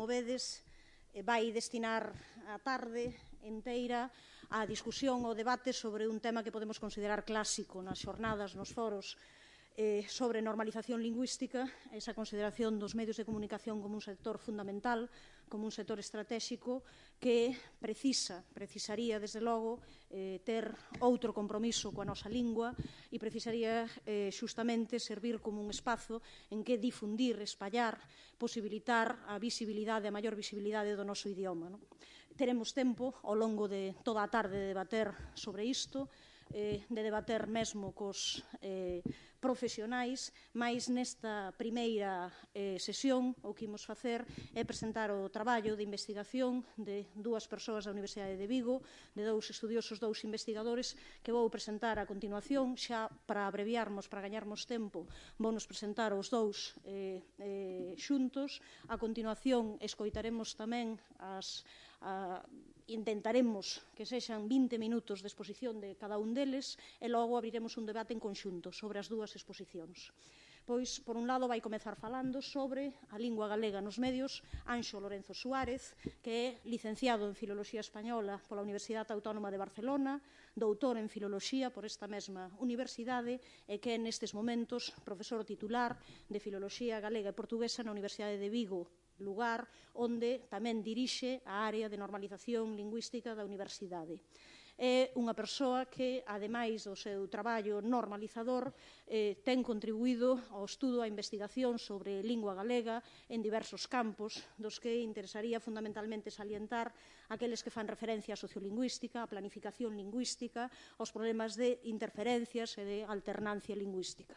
como vedes, vai destinar a tarde inteira á discusión, ao debate sobre un tema que podemos considerar clásico nas xornadas, nos foros, sobre normalización lingüística, esa consideración dos medios de comunicación como un sector fundamental, como un sector estratégico que precisaría, desde logo, ter outro compromiso coa nosa lingua e precisaría xustamente servir como un espazo en que difundir, espallar, posibilitar a visibilidade, a maior visibilidade do noso idioma. Teremos tempo ao longo de toda a tarde de debater sobre isto, de debater mesmo cos profesionais, mas nesta primeira sesión o que imos facer é presentar o traballo de investigación de dúas persoas da Universidade de Vigo, de dous estudiosos, dous investigadores, que vou presentar a continuación. Xa para abreviarmos, para gañarmos tempo, vounos presentar os dous xuntos. A continuación escoitaremos tamén intentaremos que sexan 20 minutos de exposición de cada un deles e logo abriremos un debate en conxunto sobre as dúas exposicións. Pois, por un lado, vai comezar falando sobre a lingua galega nos medios Anxo Lorenzo Suárez, que é licenciado en Filoloxía Española pola Universidade Autónoma de Barcelona, doutor en Filoloxía por esta mesma universidade e que é nestes momentos profesor titular de Filoloxía Galega e Portuguesa na Universidade de Vigo, lugar onde tamén dirixe a área de normalización lingüística da universidade. É unha persoa que, ademais do seu traballo normalizador, ten contribuído ao estudo, á investigación sobre lingua galega en diversos campos, dos que interesaría fundamentalmente salientar aqueles que fan referencia á sociolingüística, á planificación lingüística, aos problemas de interferencias e de alternancia lingüística.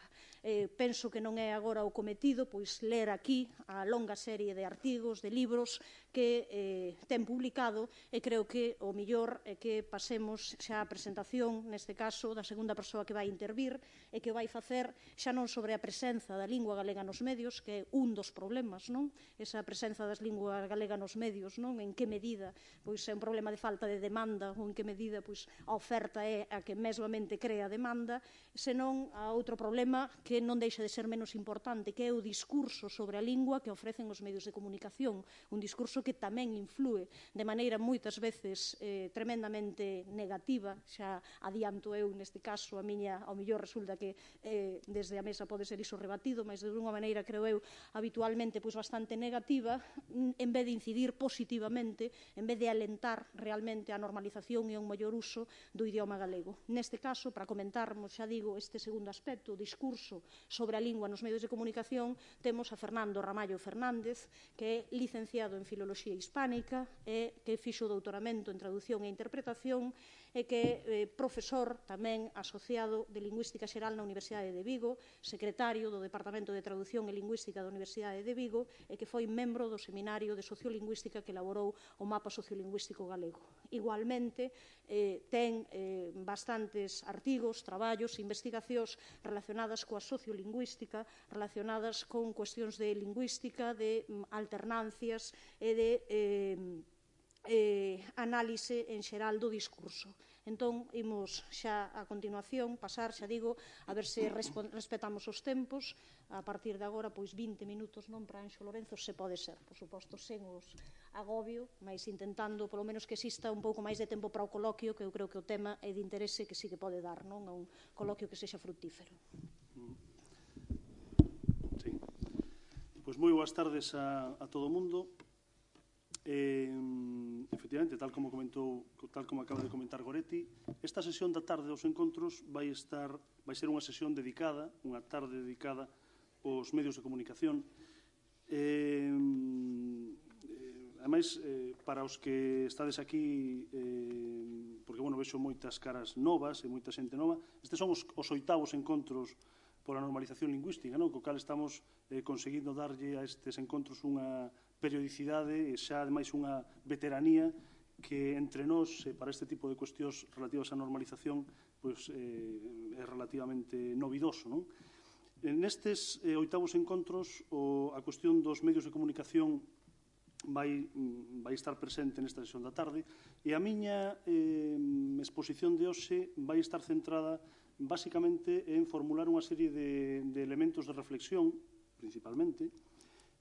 Penso que non é agora o cometido pois ler aquí a longa serie de artigos, de libros que ten publicado, e creo que o mellor é que pasemos xa a presentación, neste caso, da segunda persoa que vai intervir e que vai facer xa non sobre a presenza da lingua galega nos medios, que é un dos problemas, non? Esa presenza das linguas galega nos medios, non? En que medida pois é un problema de falta de demanda ou en que medida pois a oferta é a que mesmamente crea demanda, senón a outro problema que non deixa de ser menos importante, que é o discurso sobre a lingua que ofrecen os medios de comunicación, un discurso que tamén influe de maneira moitas veces tremendamente negativa. Xa adianto eu neste caso, ao mellor resulta que desde a mesa pode ser iso rebatido, mas de unha maneira, creo eu, habitualmente pois bastante negativa, en vez de incidir positivamente, en vez de alentar realmente a normalización e un maior uso do idioma galego. Neste caso, para comentarmos, xa digo, este segundo aspecto, o discurso sobre a lingua nos medios de comunicación, temos a Fernando Ramallo Fernández, que é licenciado en Filoloxía Hispánica e que fixo o doutoramento en Traducción e Interpretación e que é profesor tamén asociado de Lingüística Xeral na Universidade de Vigo, secretario do Departamento de Traducción e Lingüística da Universidade de Vigo e que foi membro do Seminario de Sociolingüística que elaborou o Mapa Sociolingüístico Galego. Igualmente, ten bastantes artigos, traballos, investigacións relacionadas coa sociolingüística, relacionadas con cuestións de lingüística, de alternancias e de análise en xeral do discurso. Entón, imos xa a continuación pasar, xa digo, a ver se respetamos os tempos. A partir de agora, pois 20 minutos non para Anxo Lorenzo, se pode ser, por suposto, sen os agobio, mas intentando, polo menos, que exista un pouco máis de tempo para o coloquio, que eu creo que o tema é de interese que sí que pode dar, non? A un coloquio que sexa fructífero. Sí. Pois moi boas tardes a todo o mundo. Efectivamente, tal como acaba de comentar Goretti, esta sesión da tarde dos encontros vai ser unha sesión dedicada, unha tarde dedicada aos medios de comunicación. Ademais, para os que estades aquí, porque, vexo moitas caras novas e moita xente nova, estes son os 8º encontros pola normalización lingüística, co cal estamos conseguindo darlle a estes encontros unha periodicidade e xa, ademais, unha veteranía que entre nós, para este tipo de cuestións relativas á normalización, é relativamente novidoso. Nestes 8º encontros, a cuestión dos medios de comunicación vai estar presente nesta sesión da tarde e a miña exposición de hoxe vai estar centrada basicamente en formular unha serie de elementos de reflexión, principalmente,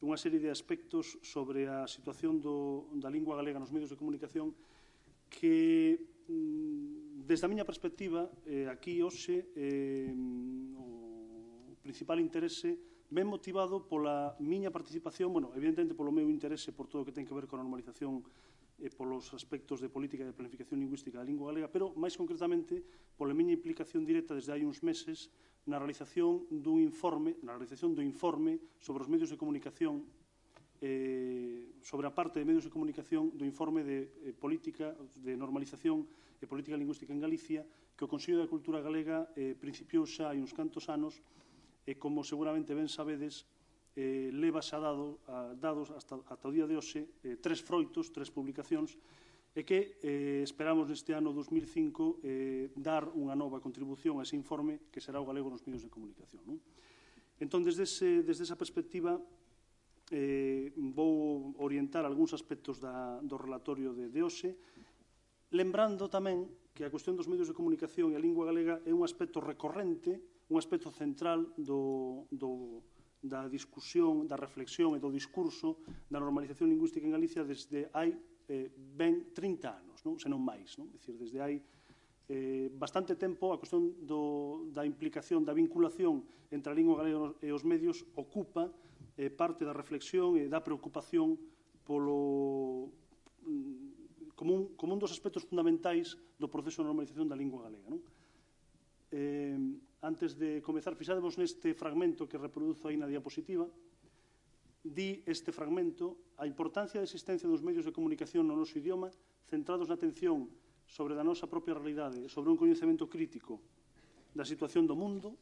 unha serie de aspectos sobre a situación da lingua galega nos medios de comunicación que, desde a miña perspectiva, aquí hoxe o principal interese ben motivado pola miña participación, bueno, evidentemente polo meu interese por todo o que ten que ver con a normalización e polos aspectos de política e de planificación lingüística da lingua galega, pero máis concretamente pola miña implicación directa desde hai uns meses na realización do informe sobre os medios de comunicación, sobre a parte de medios de comunicación do informe de política, de normalización e política lingüística en Galicia, que o Consello da Cultura Galega principiou xa hai uns cantos anos, e como seguramente ben sabedes, leva xa dados ata o día de hoxe 3 froitos, 3 publicacións, e que esperamos neste ano 2005 dar unha nova contribución a ese informe que será o galego nos medios de comunicación. Entón, desde esa perspectiva, vou orientar algúns aspectos do relatorio de hoxe, lembrando tamén que a cuestión dos medios de comunicación e a lingua galega é un aspecto recorrente, un aspecto central da discusión, da reflexión e do discurso da normalización lingüística en Galicia desde hai ben 30 anos, se non máis. É dicir, desde hai bastante tempo a cuestión da implicación, da vinculación entre a lingua galega e os medios ocupa parte da reflexión e da preocupación como un dos aspectos fundamentais do proceso de normalización da lingua galega. Antes de comezar, fixadevos neste fragmento que reproduzo aí na diapositiva. Di este fragmento a importancia da existencia dos medios de comunicación no noso idioma centrados na atención sobre a nosa propia realidade e sobre un coñecemento crítico da situación do mundo,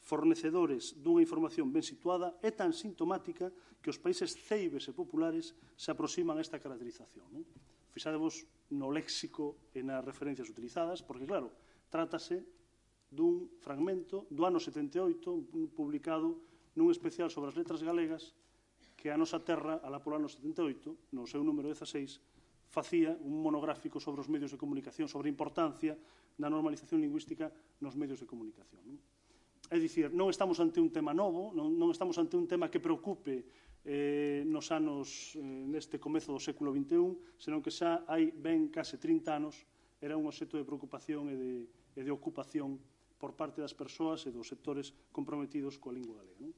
fornecedores dunha información ben situada, é tan sintomática que os países ceibes e populares se aproximan a esta caracterización. Fixadevos no léxico e nas referencias utilizadas, porque, claro, trátase dun fragmento do ano 78, publicado nun especial sobre as letras galegas, que a nosa terra, alá polo ano 78, no seu número 16, facía un monográfico sobre os medios de comunicación, sobre a importancia da normalización lingüística nos medios de comunicación. É dicir, non estamos ante un tema novo, non estamos ante un tema que preocupe nos anos, neste comezo do século XXI, senón que xa hai ben case 30 anos era un obxecto de preocupación e de ocupación por parte das persoas e dos sectores comprometidos coa lingua galega.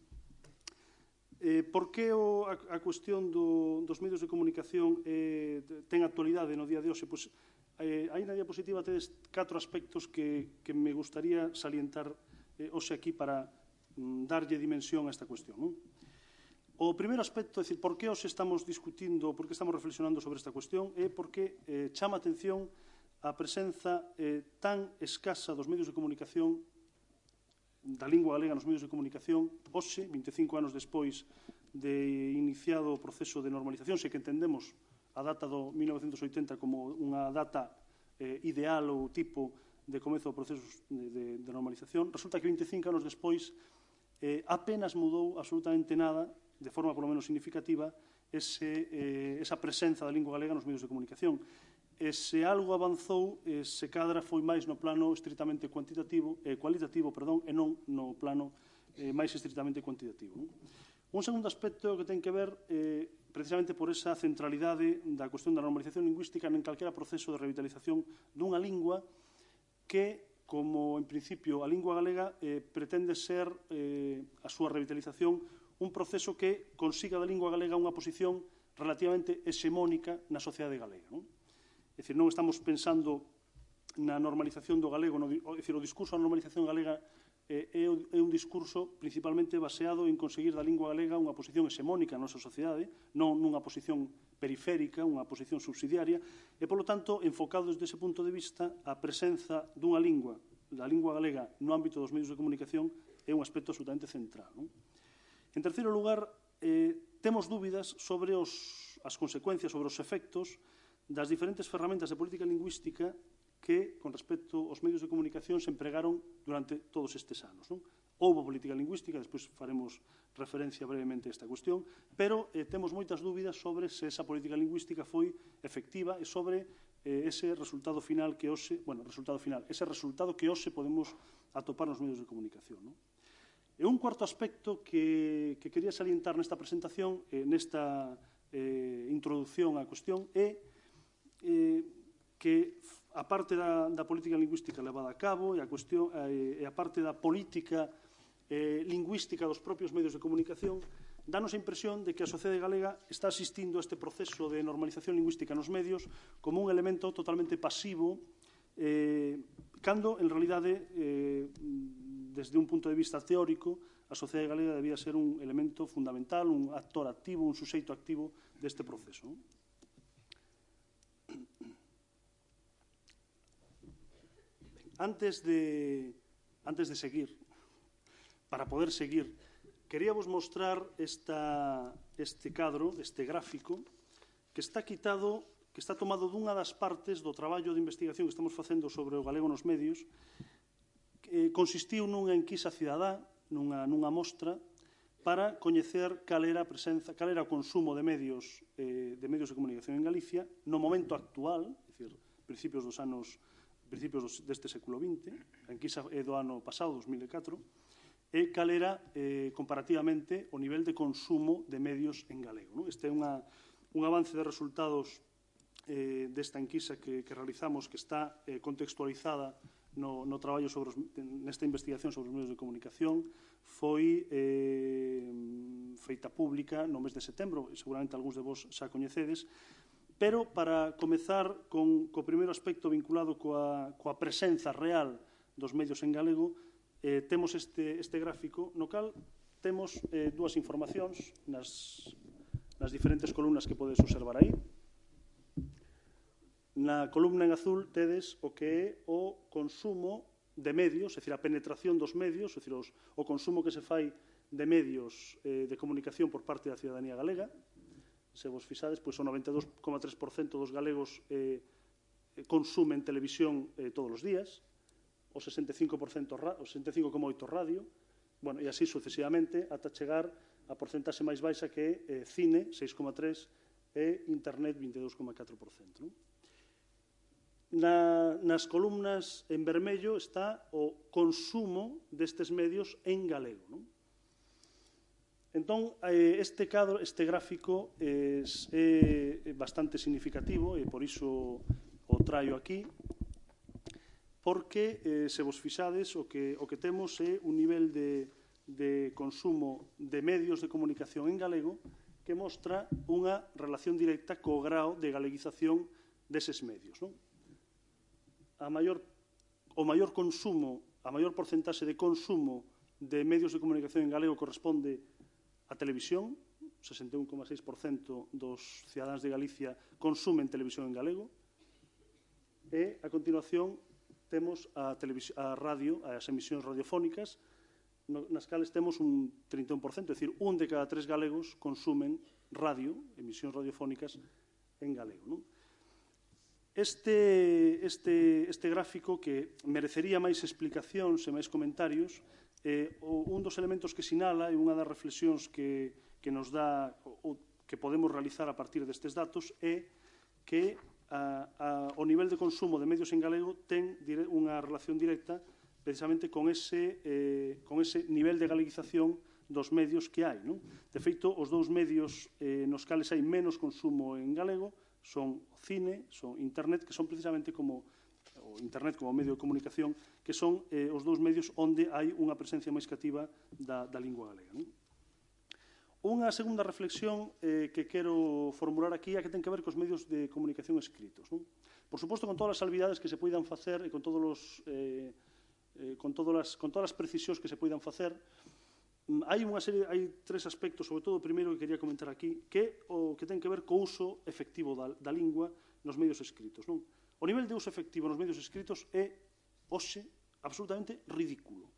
Por que a cuestión dos medios de comunicación ten actualidade no día de hoxe? Pois, aí na diapositiva tedes 4 aspectos que me gustaría salientar hoxe aquí para darlle dimensión a esta cuestión. O primeiro aspecto, é dicir, por que hoxe estamos discutindo, por que estamos reflexionando sobre esta cuestión, é porque chama a atención a presenza tan escasa dos medios de comunicación, da lingua galega nos medios de comunicación, hoxe, 25 anos despois de iniciado o proceso de normalización, se que entendemos a data do 1980 como unha data ideal ou tipo de comezo do proceso de normalización, resulta que 25 anos despois apenas mudou absolutamente nada, de forma polo menos significativa, esa presenza da lingua galega nos medios de comunicación. E se algo avanzou, se cadra foi máis no plano estritamente cualitativo, e non no plano máis estritamente cuantitativo. Un segundo aspecto que ten que ver precisamente por esa centralidade da cuestión da normalización lingüística en calquera proceso de revitalización dunha lingua que, como en principio a lingua galega, pretende ser a súa revitalización un proceso que consiga da lingua galega unha posición relativamente hexemónica na sociedade galega. É dicir, non estamos pensando na normalización do galego, é dicir, o discurso da normalización galega é un discurso principalmente baseado en conseguir da lingua galega unha posición hexemónica na nosa sociedade, non nunha posición periférica, unha posición subsidiaria, e, polo tanto, enfocado desde ese punto de vista, a presenza dunha lingua, da lingua galega, no ámbito dos medios de comunicación é un aspecto absolutamente central. En terceiro lugar, temos dúbidas sobre as consecuencias, sobre os efectos das diferentes ferramentas de política lingüística que, con respecto aos medios de comunicación, se empregaron durante todos estes anos. Houbo política lingüística, despois faremos referencia brevemente a esta cuestión, pero temos moitas dúbidas sobre se esa política lingüística foi efectiva e sobre ese resultado final que hoxe, ese resultado que hoxe podemos atopar nos medios de comunicación. E un cuarto aspecto que quería salientar nesta presentación, nesta introducción á cuestión, é que a parte da política lingüística levada a cabo e a parte da política lingüística dos propios medios de comunicación, danos a impresión de que a sociedade galega está asistindo a este proceso de normalización lingüística nos medios como un elemento totalmente pasivo, cando, en realidade, desde un punto de vista teórico, a sociedade galega debía ser un elemento fundamental, un actor activo, un suxeito activo deste proceso. Antes de seguir, para poder seguir, queríamos mostrar este cadro, este gráfico, que está tomado dunha das partes do traballo de investigación que estamos facendo sobre o galego nos medios. Consistiu nunha enquisa cidadá, nunha mostra, para coñecer cal era o consumo de medios de comunicación en Galicia no momento actual, é dicir, principios deste século XX, a enquisa é do ano pasado, 2004, e cal era comparativamente o nivel de consumo de medios en galego. Este é un avance de resultados desta enquisa que realizamos, que está contextualizada no traballo nesta investigación sobre os medios de comunicación. Foi feita pública no mes de setembro, e seguramente algúns de vos xa coñecedes, pero para comezar co primeiro aspecto vinculado coa presenza real dos medios en galego, temos este gráfico no cal temos dúas informacións nas diferentes columnas que podes observar aí. Na columna en azul tedes o que é o consumo de medios, é dicir, a penetración dos medios, é dicir, o consumo que se fai de medios de comunicación por parte da ciudadanía galega. Se vos fixades, pois o 92,3% dos galegos consumen televisión todos os días, o 65,8% radio, e así sucesivamente, ata chegar a porcentaxe máis baixa que é cine, 6,3%, e internet, 22,4%. Nas columnas en vermello está o consumo destes medios en galego. Entón, este gráfico é bastante significativo e por iso o traio aquí, porque, se vos fixades, o que temos é un nivel de consumo de medios de comunicación en galego que mostra unha relación directa co grao de galeguización deses medios. O maior consumo, a maior porcentaxe de consumo de medios de comunicación en galego corresponde á televisión. 61,6% dos cidadáns de Galicia consumen televisión en galego. E, a continuación, temos a radio, as emisións radiofónicas, nas cales temos un 31%, é dicir, un de cada 3 galegos consumen radio, emisións radiofónicas en galego. Este gráfico, que merecería máis explicacións e máis comentarios, un dos elementos que sinala e unha das reflexións que nos dá, que podemos realizar a partir destes datos, é que o nivel de consumo de medios en galego ten unha relación directa precisamente con ese nivel de galeguización dos medios que hai. De feito, os dous medios nos cales hai menos consumo en galego son o cine, son internet, que son precisamente como o internet como medio de comunicación, que son os dous medios onde hai unha presencia máis cativa da lingua galega. Unha segunda reflexión que quero formular aquí é que ten que ver cos medios de comunicación escritos. Por suposto, con todas as salvidades que se poidan facer e con todas as precisións que se poidan facer, hai tres aspectos, sobre todo o primeiro que quería comentar aquí, que é o que ten que ver co uso efectivo da lingua nos medios escritos. O nivel de uso efectivo nos medios escritos é, hoxe, absolutamente ridículo.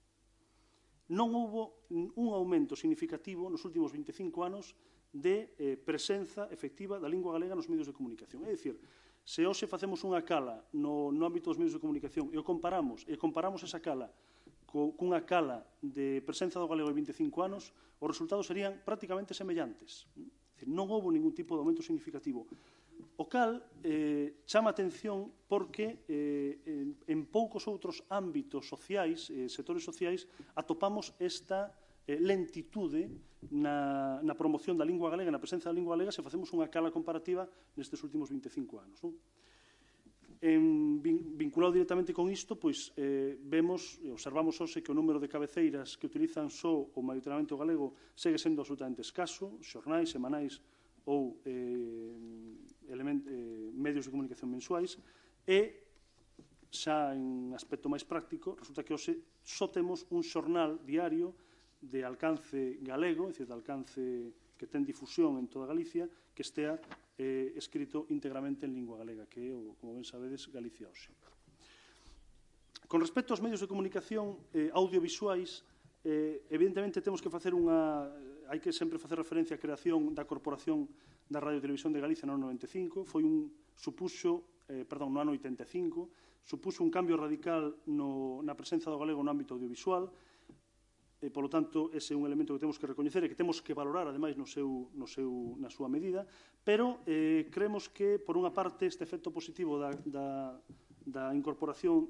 Non houbo un aumento significativo nos últimos 25 anos de presenza efectiva da lingua galega nos medios de comunicación. É dicir, se hoxe facemos unha cala no ámbito dos medios de comunicación e comparamos esa cala cunha cala de presenza do galego de 25 anos, os resultados serían prácticamente semellantes. Non houve ningún tipo de aumento significativo. O cal chama atención porque en poucos outros ámbitos sociais, sectores sociais, atopamos esta lentitude na promoción da lingua galega, na presenza da lingua galega, se facemos unha cala comparativa nestes últimos 25 anos. Vinculado directamente con isto, pois vemos e observamos hoxe que o número de cabeceiras que utilizan só ou maioritariamente o galego segue sendo absolutamente escaso, xornais, semanais ou medios de comunicación mensuais, e xa en aspecto máis práctico, resulta que hoxe só temos un xornal diario de alcance galego, é dicir, de alcance que ten difusión en toda Galicia, que estea escrito íntegramente en lingua galega, que é, como ben sabedes, Galicia Hoxe. Con respecto aos medios de comunicación audiovisuais, evidentemente temos que facer hai que sempre facer referencia á creación da Corporación da Radio e Televisión de Galicia no ano 95, no ano 85, supuxo un cambio radical na presenza do galego no ámbito audiovisual. Polo tanto, ese é un elemento que temos que recoñecer e que temos que valorar, ademais, na súa medida, pero creemos que, por unha parte, este efecto positivo da incorporación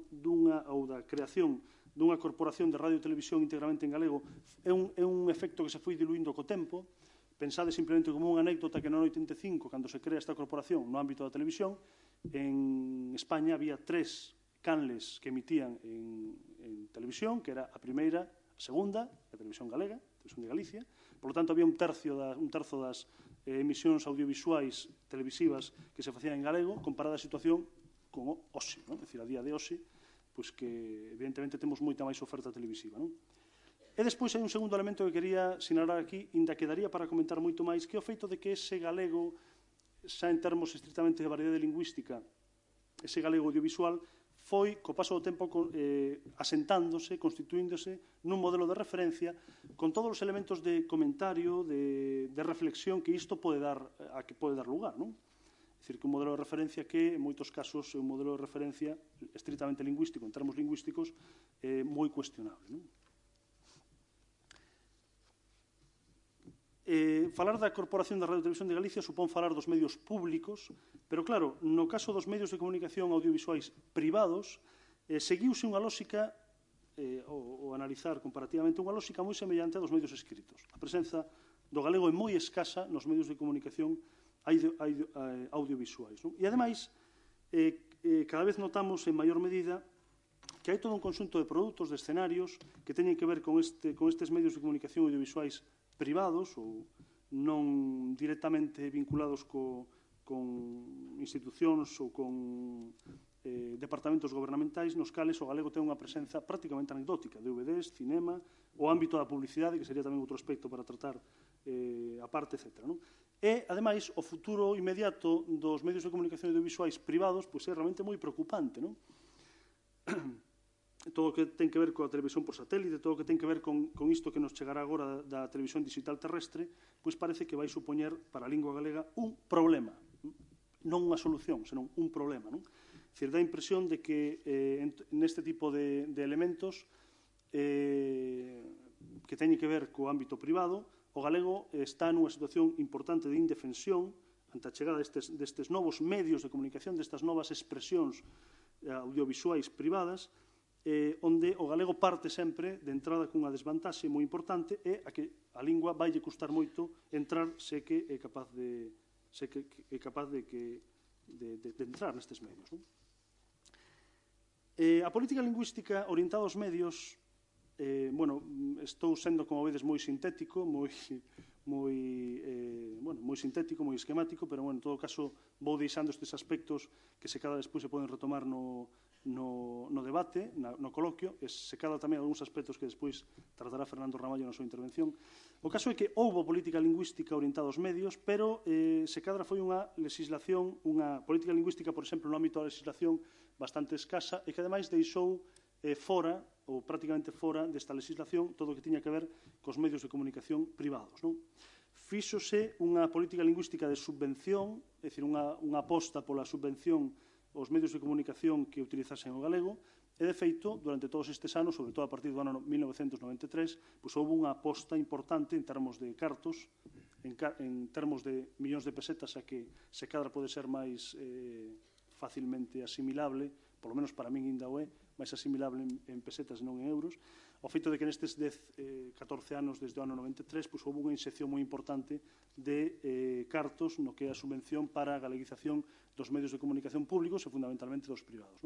ou da creación dunha corporación de radio e televisión íntegramente en galego é un efecto que se foi diluindo co tempo. Pensade simplemente como unha anécdota que no ano 85, cando se crea esta corporación no ámbito da televisión, en España había 3 canles que emitían en televisión, que era a primeira, segunda, a Televisión Galega, a Televisión de Galicia. Por lo tanto, había un terzo das emisións audiovisuais televisivas que se facían en galego, comparada a situación con hoxe, é dicir, a día de hoxe, pois que evidentemente temos moita máis oferta televisiva. E despois hai un segundo elemento que quería sinalar aquí, inda que daría para comentar moito máis, que é o feito de que ese galego, xa en termos estritamente de variedade lingüística, ese galego audiovisual, foi, co paso do tempo, asentándose, constituíndose nun modelo de referencia con todos os elementos de comentario, de reflexión que isto pode dar lugar, non? É dicir, que un modelo de referencia que, en moitos casos, é un modelo de referencia estritamente lingüístico, en termos lingüísticos, moi cuestionable, non? Falar da Corporación da Radio e Televisión de Galicia supón falar dos medios públicos, pero claro, no caso dos medios de comunicación audiovisuais privados, seguiuse unha lóxica, ou analizar comparativamente, unha lóxica moi semellante a dos medios escritos. A presenza do galego é moi escasa nos medios de comunicación audiovisuais. E, ademais, cada vez notamos en maior medida que hai todo un conxunto de produtos, de escenarios, que teñen que ver con estes medios de comunicación audiovisuais privados ou non directamente vinculados con institucións ou con departamentos gobernamentais nos cales o galego ten unha presenza prácticamente anecdótica, DVDs, cinema, o ámbito da publicidade, que sería tamén outro aspecto para tratar a parte, etc. E, ademais, o futuro inmediato dos medios de comunicación audiovisuais privados é realmente moi preocupante, non? Todo o que ten que ver coa televisión por satélite, todo o que ten que ver con isto que nos chegará agora da televisión digital terrestre, pois parece que vai supoñer para a lingua galega un problema, non unha solución, senón un problema, non? É dicir, dá a impresión de que neste tipo de elementos que teñen que ver co ámbito privado, o galego está nunha situación importante de indefensión ante a chegada destes novos medios de comunicación, destas novas expresións audiovisuais privadas, onde o galego parte sempre de entrada cunha desvantaxe moi importante e a que a lingua vai lle custar moito entrar se que é capaz de entrar nestes medios. A política lingüística orientada aos medios, estou sendo, como vedes, moi sintético, moi sintético, moi esquemático, pero, en todo caso, vou deixando estes aspectos que se cada despois se poden retomar no debate, no coloquio, e se cada tamén algúns aspectos que despois tratará Fernando Ramallo na súa intervención. O caso é que houbo política lingüística orientada aos medios, pero se cadra foi unha legislación, unha política lingüística, por exemplo, no ámbito da legislación bastante escasa e que, ademais, deixou fora, ou prácticamente fora desta legislación, todo o que tiña que ver cos medios de comunicación privados. Fíxose unha política lingüística de subvención, é dicir, unha aposta pola subvención aos medios de comunicación que utilizasen o galego, e, de feito, durante todos estes anos, sobre todo a partir do ano 1993, houve unha aposta importante en termos de cartos, en termos de millóns de pesetas, a que se cadra pode ser máis facilmente asimilable, polo menos para min ainda o é, máis asimilable en pesetas e non en euros. ao feito de que nestes 14 anos, desde o ano 93, houve unha inxección moi importante de cartos no que é a subvención para a galeguización dos medios de comunicación públicos e fundamentalmente dos privados.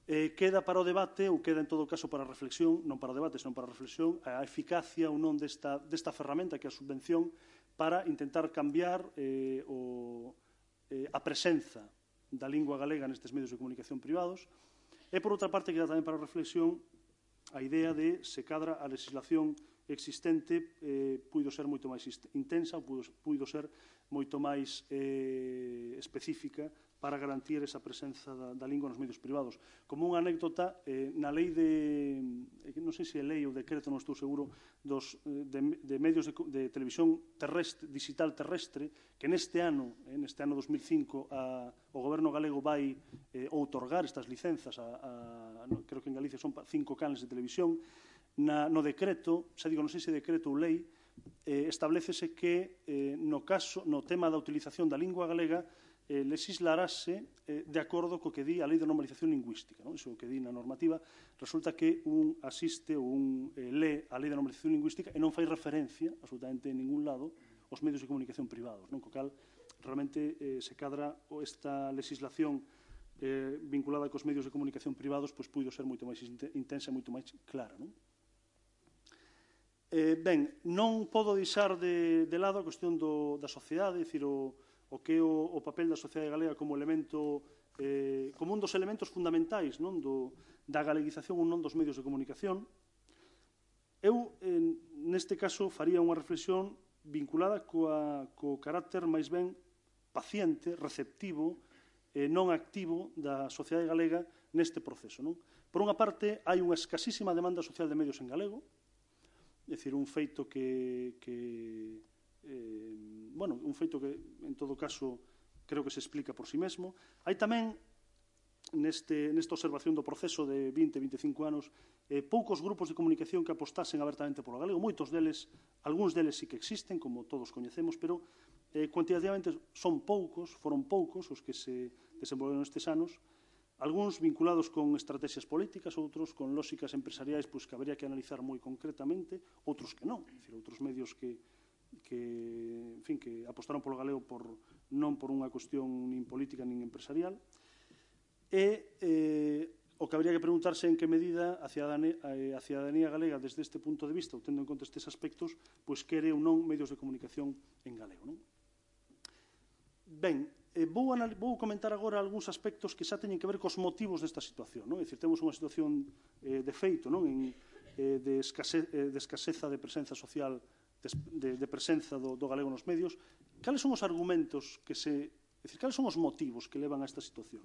Queda para o debate, ou queda en todo caso para a reflexión, non para o debate, senón para a reflexión, a eficacia ou non desta ferramenta que é a subvención para intentar cambiar a presenza da lingua galega nestes medios de comunicación privados. E, por outra parte, queda tamén para a reflexión a idea de se cadra a legislación existente puido ser moito máis intensa ou puido ser moito máis específica para garantir esa presenza da lingua nos medios privados. Como unha anécdota, na lei non sei se é lei ou decreto, non estou seguro, de medios de televisión digital terrestre, que neste ano 2005, o Goberno galego vai outorgar estas licenzas, creo que en Galicia son 5 canles de televisión. No decreto, xa digo, non sei se decreto ou lei, establecese que no tema da utilización da lingua galega legislarase de acordo co que di a Lei de Normalización Lingüística. Iso que di na normativa, resulta que un asiste ou un lee a Lei de Normalización Lingüística e non fai referencia, absolutamente en ningún lado, aos medios de comunicación privados, co cal realmente se cadra esta legislación vinculada cos medios de comunicación privados, pois puido ser moito máis intensa e moito máis clara. Ben, non podo deixar de lado a cuestión da sociedade, dicir, o que é o papel da sociedade galega como elemento, como un dos elementos fundamentais da galeguización ou non dos medios de comunicación. Eu, neste caso, faría unha reflexión vinculada co carácter máis ben paciente, receptivo, non activo da sociedade galega neste proceso. Por unha parte, hai unha escasísima demanda social de medios en galego, é dicir, un feito que en todo caso creo que se explica por si mesmo. Hai tamén nesta observación do proceso de 20-25 anos poucos grupos de comunicación que apostasen abertamente polo galego. Moitos deles, algúns deles sí que existen, como todos coñecemos, pero cuantitativamente foron poucos os que se desenvolveron estes anos, algúns vinculados con estrategias políticas, outros con lóxicas empresariais que habería que analizar moi concretamente, outros que non, outros medios que apostaron polo galego non por unha cuestión nin política nin empresarial. E o que habría que preguntarse en que medida a cidadanía galega desde este punto de vista, ou tendo en conta estes aspectos, quere ou non medios de comunicación en galego. Ben, vou comentar agora algúns aspectos que xa teñen que ver cos motivos desta situación. É dicir, temos unha situación de feito, de escaseza de presenza social, de presenza do galego nos medios. Cales son os argumentos cales son os motivos que levan a esta situación?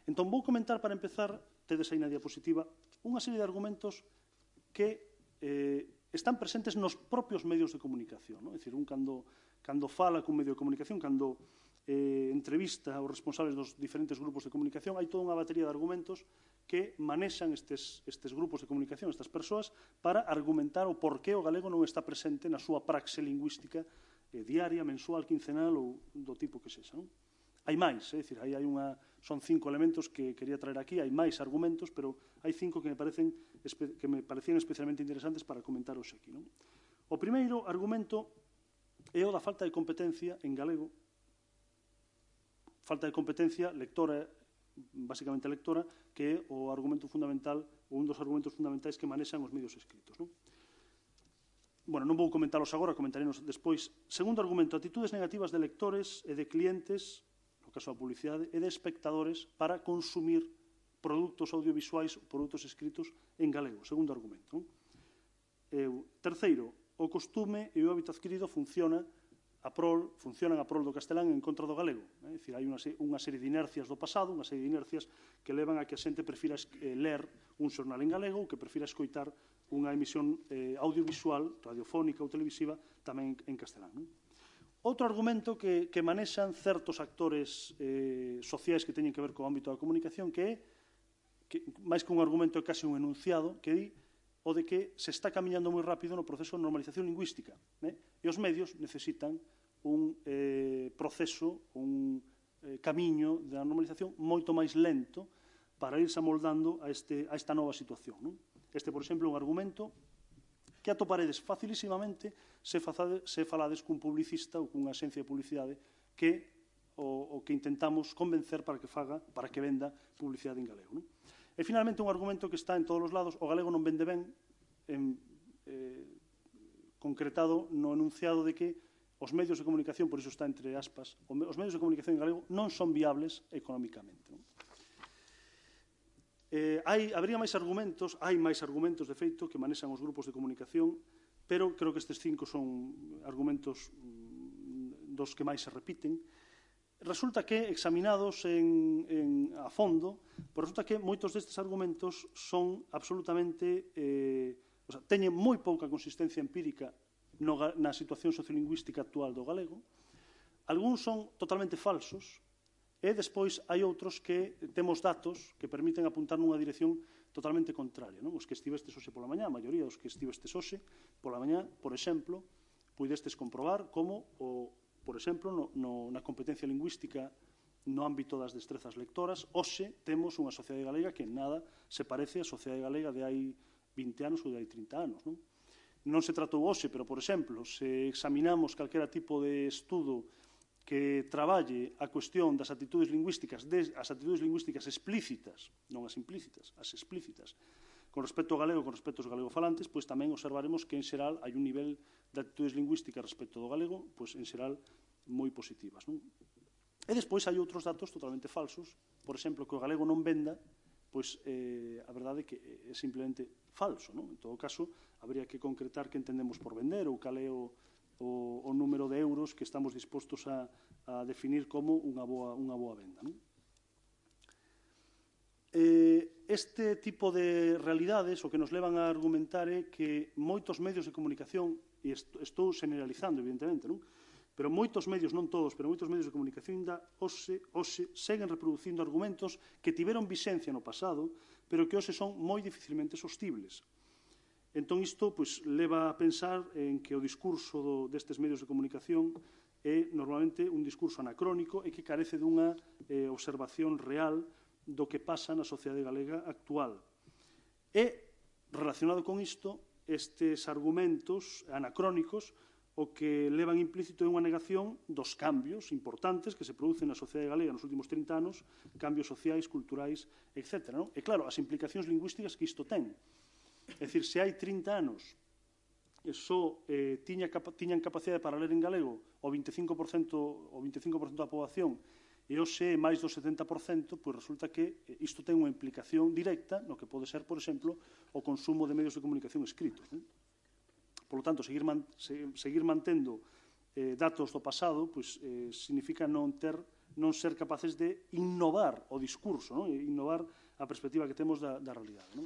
Entón, vou comentar, para empezar, tedes aí na diapositiva, unha serie de argumentos que están presentes nos propios medios de comunicación. É dicir, cando fala cun medio de comunicación, cando entrevista os responsables dos diferentes grupos de comunicación, hai toda unha batería de argumentos que manexan estes grupos de comunicación, estas persoas, para argumentar o porqué o galego non está presente na súa praxe lingüística diaria, mensual, quincenal ou do tipo que sexa. Hai máis, dicir, son 5 elementos que quería traer aquí, hai máis argumentos, pero hai 5 que me parecían especialmente interesantes para comentar hoxe aquí. O primeiro argumento é o da falta de competencia en galego, falta de competencia lectora, basicamente lectora, que é o argumento fundamental, ou un dos argumentos fundamentais que manexan os medios escritos. Non vou comentalos agora, comentarenos despois. Segundo argumento, actitudes negativas de lectores e de clientes, no caso da publicidade, e de espectadores para consumir produtos audiovisuais ou produtos escritos en galego. Segundo argumento. Terceiro, o costume e o hábito adquirido funcionan a prol do castelán en contra do galego. É dicir, hai unha serie de inercias do pasado, unha serie de inercias que levan a que a xente prefira ler un xornal en galego ou que prefira escoitar unha emisión audiovisual, radiofónica ou televisiva, tamén en castelán. Outro argumento que manexan certos actores sociais que teñen que ver co ámbito da comunicación, que é, máis que un argumento, é case un enunciado, que di o de que se está camiñando moi rápido no proceso de normalización lingüística. E os medios necesitan un proceso, un camiño da normalización moito máis lento para irse amoldando a esta nova situación. Este, por exemplo, é un argumento que atoparedes facilísimamente se falades cun publicista ou cunha agencia de publicidade que o que intentamos convencer para que venda publicidade en galego. E, finalmente, un argumento que está en todos os lados: o galego non vende ben, concretado no enunciado de que os medios de comunicación, por iso está entre aspas, os medios de comunicación en galego non son viables económicamente. Habría máis argumentos, hai máis argumentos, de feito, que manexan os grupos de comunicación, pero creo que estes 5 son argumentos dos que máis se repiten. Resulta que, examinados a fondo, resulta que moitos destes argumentos son absolutamente, teñen moi pouca consistencia empírica na situación sociolingüística actual do galego. Algúns son totalmente falsos, e despois hai outros que temos datos que permiten apuntar nunha dirección totalmente contraria. Os que estivestes hoxe pola mañá, a maioría dos que estivestes hoxe pola mañá, por exemplo, puidestes comprobar como, por exemplo, na competencia lingüística no ámbito das destrezas lectoras, hoxe temos unha sociedade galega que en nada se parece á sociedade galega de hai 20 anos ou de hai 30 anos. Non se tratou hoxe, pero, por exemplo, se examinamos calquera tipo de estudo que traballe a cuestión das actitudes lingüísticas, as actitudes lingüísticas explícitas, non as implícitas, as explícitas, con respecto ao galego e con respecto aos galegofalantes, pois tamén observaremos que, en xeral, hai un nivel de actitudes lingüísticas respecto do galego, pois, en xeral, moi positivas. E despois hai outros datos totalmente falsos, por exemplo, que o galego non venda, pois a verdade é que é simplemente falso. En todo caso, habría que concretar que entendemos por vender ou cal é o número de euros que estamos dispostos a definir como unha boa venda. Este tipo de realidades o que nos levan a argumentar é que moitos medios de comunicación, e estou generalizando, evidentemente, pero moitos medios, non todos, pero moitos medios de comunicación hoxe seguen reproducindo argumentos que tiveron vixencia no pasado, pero que hoxe son moi dificilmente sostibles. Entón, isto leva a pensar en que o discurso destes medios de comunicación é normalmente un discurso anacrónico e que carece dunha observación real do que pasa na sociedade galega actual. E, relacionado con isto, estes argumentos anacrónicos o que levan implícito é unha negación dos cambios importantes que se producen na sociedade galega nos últimos 30 anos, cambios sociais, culturais, etc. E, claro, as implicacións lingüísticas que isto ten. É dicir, se hai 30 anos só tiñan capacidade para ler en galego o 25% da poboación e hoxe máis do 70%, pois resulta que isto ten unha implicación directa no que pode ser, por exemplo, o consumo de medios de comunicación escritos. Por lo tanto, seguir mantendo datos do pasado significa non ser capaces de innovar o discurso, innovar a perspectiva que temos da realidade.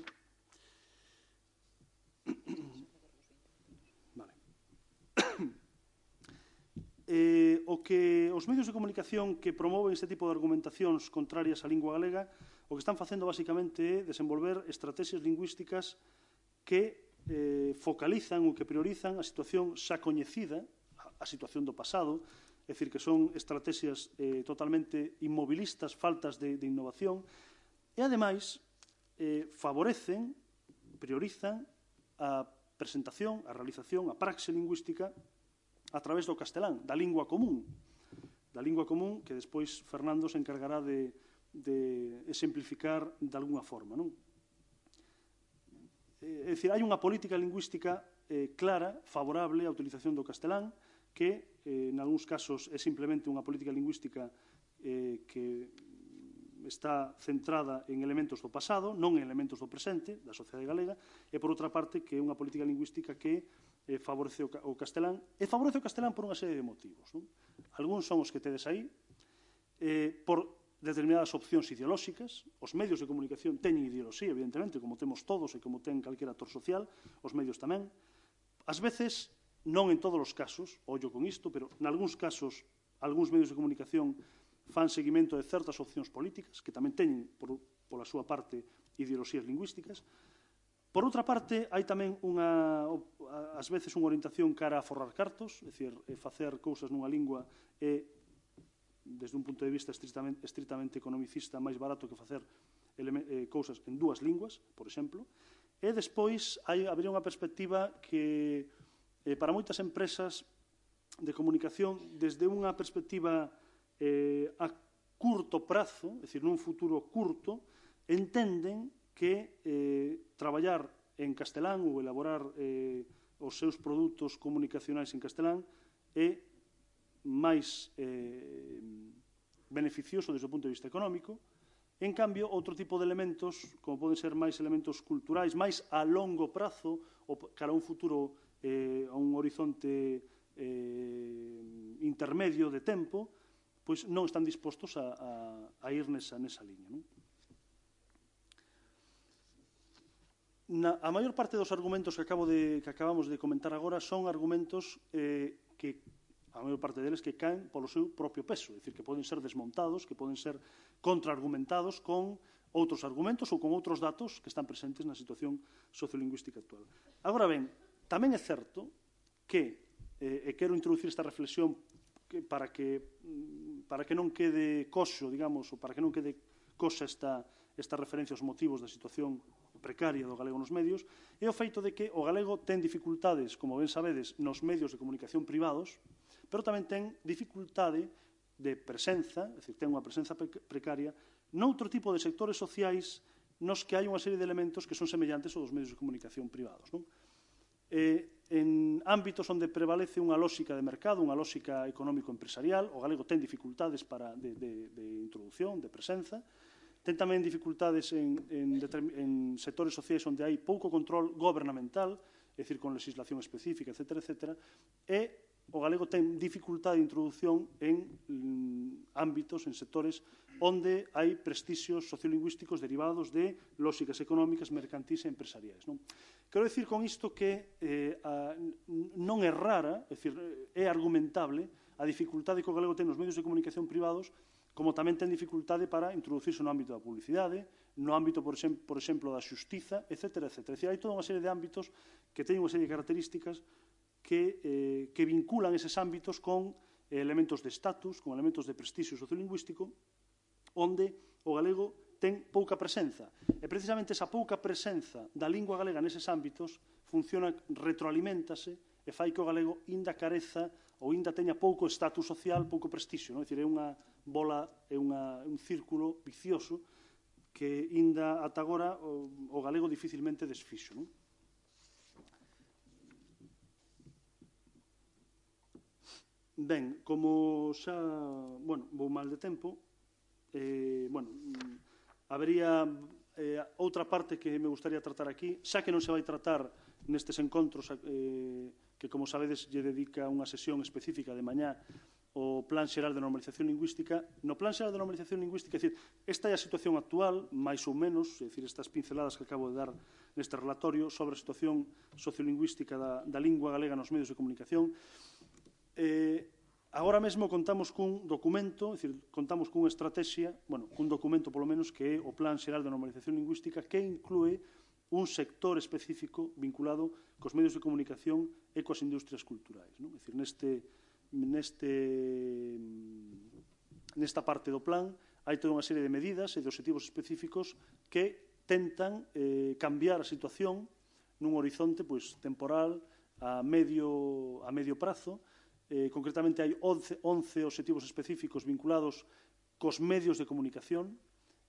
Os medios de comunicación que promoven este tipo de argumentacións contrarias á lingua galega o que están facendo basicamente é desenvolver estrategias lingüísticas que focalizan ou que priorizan a situación xa coñecida, a situación do pasado, é dicir, que son estrategias totalmente inmobilistas, faltas de innovación, e, ademais, favorecen, priorizan a presentación, a realización, a praxe lingüística a través do castelán, da lingua común, que despois Fernando se encargará de exemplificar de alguna forma. É dicir, hai unha política lingüística clara, favorable á utilización do castelán, que, en algúns casos, é simplemente unha política lingüística que está centrada en elementos do pasado, non en elementos do presente, da sociedade galega, e, por outra parte, que é unha política lingüística que favorece o castelán, e favorece o castelán por unha serie de motivos. Algúns son os que tedes aí, por determinadas opcións ideolóxicas. Os medios de comunicación teñen ideoloxía, evidentemente, como temos todos e como ten calquera actor social, os medios tamén. Ás veces, non en todos os casos, ollo con isto, pero nalgúns casos, algúns medios de comunicación fan seguimento de certas opcións políticas, que tamén teñen, pola súa parte, ideoloxías lingüísticas. Por outra parte, hai tamén, ás veces, unha orientación cara a forrar cartos, é dicir, facer cousas nunha lingua é, desde un punto de vista estritamente economicista, máis barato que facer cousas en dúas linguas, por exemplo. E despois habería unha perspectiva que para moitas empresas de comunicación, desde unha perspectiva a curto prazo, é dicir, nun futuro curto, entenden que traballar en castelán ou elaborar os seus produtos comunicacionais en castelán é máis beneficioso desde o punto de vista económico. En cambio, outro tipo de elementos, como poden ser máis elementos culturais, máis a longo prazo, ou cara a un futuro, a un horizonte intermedio de tempo, pois non están dispostos a ir nesa liña. A maior parte dos argumentos que acabamos de comentar agora son argumentos que a maior parte deles que caen polo seu propio peso, é dicir, que poden ser desmontados, que poden ser contraargumentados con outros argumentos ou con outros datos que están presentes na situación sociolingüística actual. Agora ben, tamén é certo que, e quero introducir esta reflexión para que non quede coxo, digamos, ou para que non quede coxa esta referencia aos motivos da situación precaria do galego nos medios, é o feito de que o galego ten dificultades, como ben sabedes, nos medios de comunicación privados, pero tamén ten dificultade de presenza, é dicir, ten unha presenza precaria, noutro tipo de sectores sociais nos que hai unha serie de elementos que son semellantes aos dos medios de comunicación privados. En ámbitos onde prevalece unha lógica de mercado, unha lógica económico-empresarial, o galego ten dificultades de introducción, de presenza, ten tamén dificultades en sectores sociais onde hai pouco control gobernamental, é dicir, con legislación específica, etc., e o galego ten dificultade de introdución en ámbitos, en sectores onde hai prestixios sociolingüísticos derivados de lógicas económicas, mercantís e empresariais. Quero dicir con isto que non é rara, é dicir, é argumentable a dificultade que o galego ten nos medios de comunicación privados, como tamén ten dificultade para introducirse no ámbito da publicidade, no ámbito, por exemplo, da xustiza, etc. É dicir, hai toda unha serie de ámbitos que teñen unha serie de características que vinculan eses ámbitos con elementos de estatus, con elementos de prestixio sociolingüístico, onde o galego ten pouca presenza. E precisamente esa pouca presenza da lingua galega neses ámbitos funciona, retroaliméntase e fai que o galego inda careza ou inda teña pouco estatus social, pouco prestixio. É dicir, é unha bola, é un círculo vicioso que inda ata agora o galego dificilmente desfixo. Ben, como xa, vou mal de tempo, habería outra parte que me gustaría tratar aquí, xa que non se vai tratar nestes encontros que, como sabedes, lle dedica unha sesión específica de mañá o Plan Xeral de Normalización Lingüística. No Plan Xeral de Normalización Lingüística, é dicir, esta é a situación actual, máis ou menos, é dicir, estas pinceladas que acabo de dar neste relatorio sobre a situación sociolingüística da lingua galega nos medios de comunicación. Agora mesmo contamos cun documento, é dicir, contamos cunha estrategia, cun documento polo menos que é o Plan Xeral de Normalización Lingüística, que inclúe un sector específico vinculado cos medios de comunicación e coas industrias culturais. É dicir, nesta parte do plan hai toda unha serie de medidas e de obxectivos específicos que tentan cambiar a situación nun horizonte temporal a medio prazo. Concretamente hai 11 obxectivos específicos vinculados cos medios de comunicación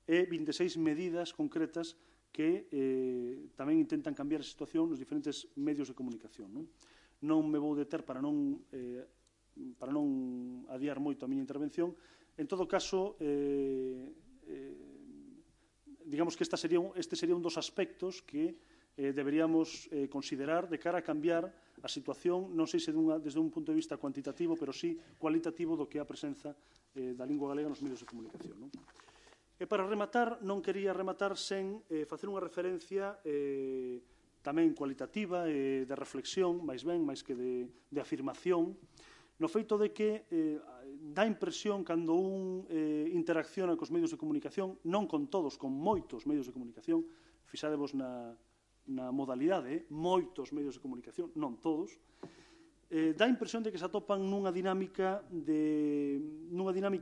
e 26 medidas concretas que tamén intentan cambiar a situación nos diferentes medios de comunicación. Non me vou deter para non adiar moito a miña intervención. En todo caso, digamos que este sería un dos aspectos que deberíamos considerar de cara a cambiar a situación, non sei se desde un punto de vista cuantitativo, pero sí cualitativo do que é a presenza da lingua galega nos medios de comunicación. E para rematar, non quería rematar sen facer unha referencia tamén cualitativa e de reflexión, máis que de afirmación, no feito de que dá impresión cando un interacciona cos medios de comunicación, non con todos, con moitos medios de comunicación, fixadevos na modalidade, moitos medios de comunicación, non todos, dá a impresión de que se atopan nunha dinámica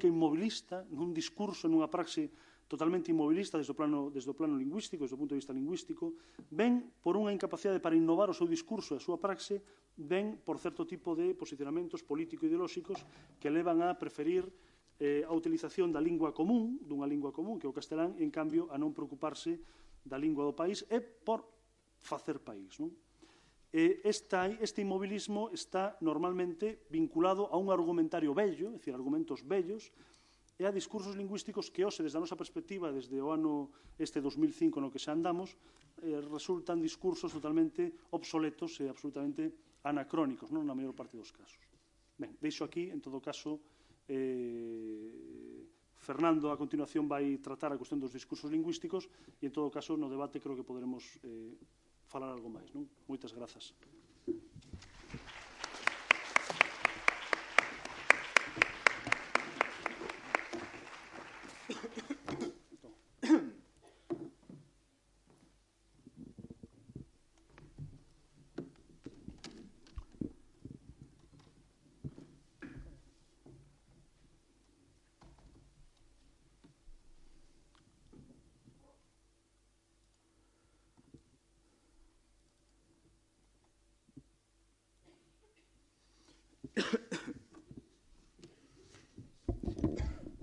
inmobilista, nun discurso, nunha praxe totalmente inmobilista desde o plano lingüístico, desde o punto de vista lingüístico, ven por unha incapacidade para innovar o seu discurso e a súa praxe, ven por certo tipo de posicionamentos político-ideolóxicos que levan a preferir a utilización da lingua común, dunha lingua común, que é o castelán, en cambio, a non preocuparse da lingua do país e por facer país. Non? Este inmobilismo está normalmente vinculado a un argumentario vello, é dicir, argumentos vellos, e a discursos lingüísticos que hoxe, desde a nosa perspectiva, desde o ano 2005 no que xa andamos, resultan discursos totalmente obsoletos e absolutamente anacrónicos, non na maior parte dos casos. Ben, deixo aquí, en todo caso, Fernando a continuación vai tratar a cuestión dos discursos lingüísticos e, en todo caso, no debate creo que poderemos falar algo máis. Non? Moitas grazas.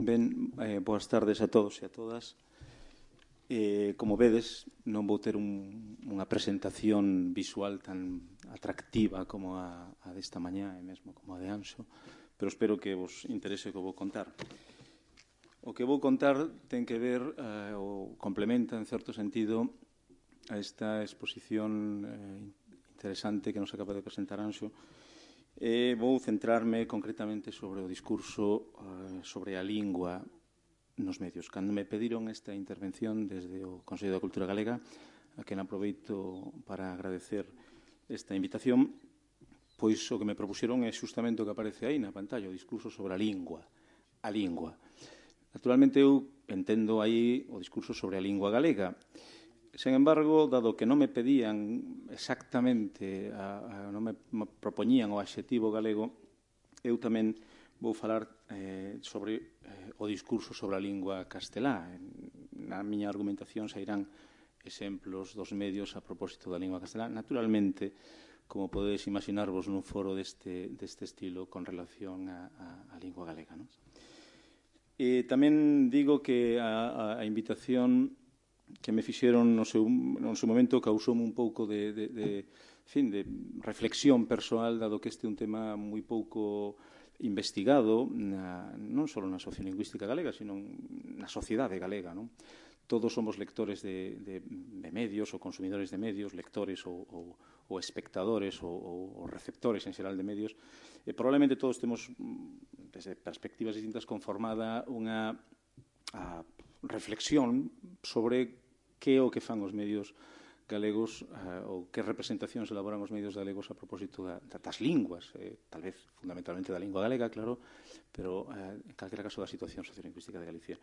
Ben, boas tardes a todos e a todas. Como vedes, non vou ter unha presentación visual tan atractiva como a desta mañá e mesmo como a de Anxo, pero espero que vos interese o que vou contar. O que vou contar ten que ver ou complementa, en certo sentido, a esta exposición interesante que nos acaba de presentar Anxo. Vou centrarme concretamente sobre o discurso sobre a lingua nos medios. Cando me pediron esta intervención desde o Consello da Cultura Galega, a quen aproveito para agradecer esta invitación, pois o que me propuxeron é justamente o que aparece aí na pantalla, o discurso sobre a lingua. A lingua. Naturalmente, eu entendo aí o discurso sobre a lingua galega. Sen embargo, dado que non me pedían exactamente, non me propoñían o adxetivo galego, eu tamén vou falar sobre o discurso sobre a lingua castelá. Na miña argumentación sairán exemplos dos medios a propósito da lingua castelá. Naturalmente, como podedes imaginarvos nun foro deste estilo con relación á lingua galega. Non? Tamén digo que a invitación que me fixeron no seu momento causoume un pouco de reflexión persoal, dado que este é un tema moi pouco investigado, non só na sociolingüística galega, sino na sociedade galega. Non? Todos somos lectores de medios ou consumidores de medios, lectores ou espectadores ou receptores en xeral de medios, e probablemente todos temos, desde perspectivas distintas, conformada unha reflexión sobre que é o que fan os medios galegos ou que representacións elaboran os medios galegos a propósito das linguas, tal vez fundamentalmente da lingua galega, claro, pero en calquera caso da situación sociolingüística de Galicia.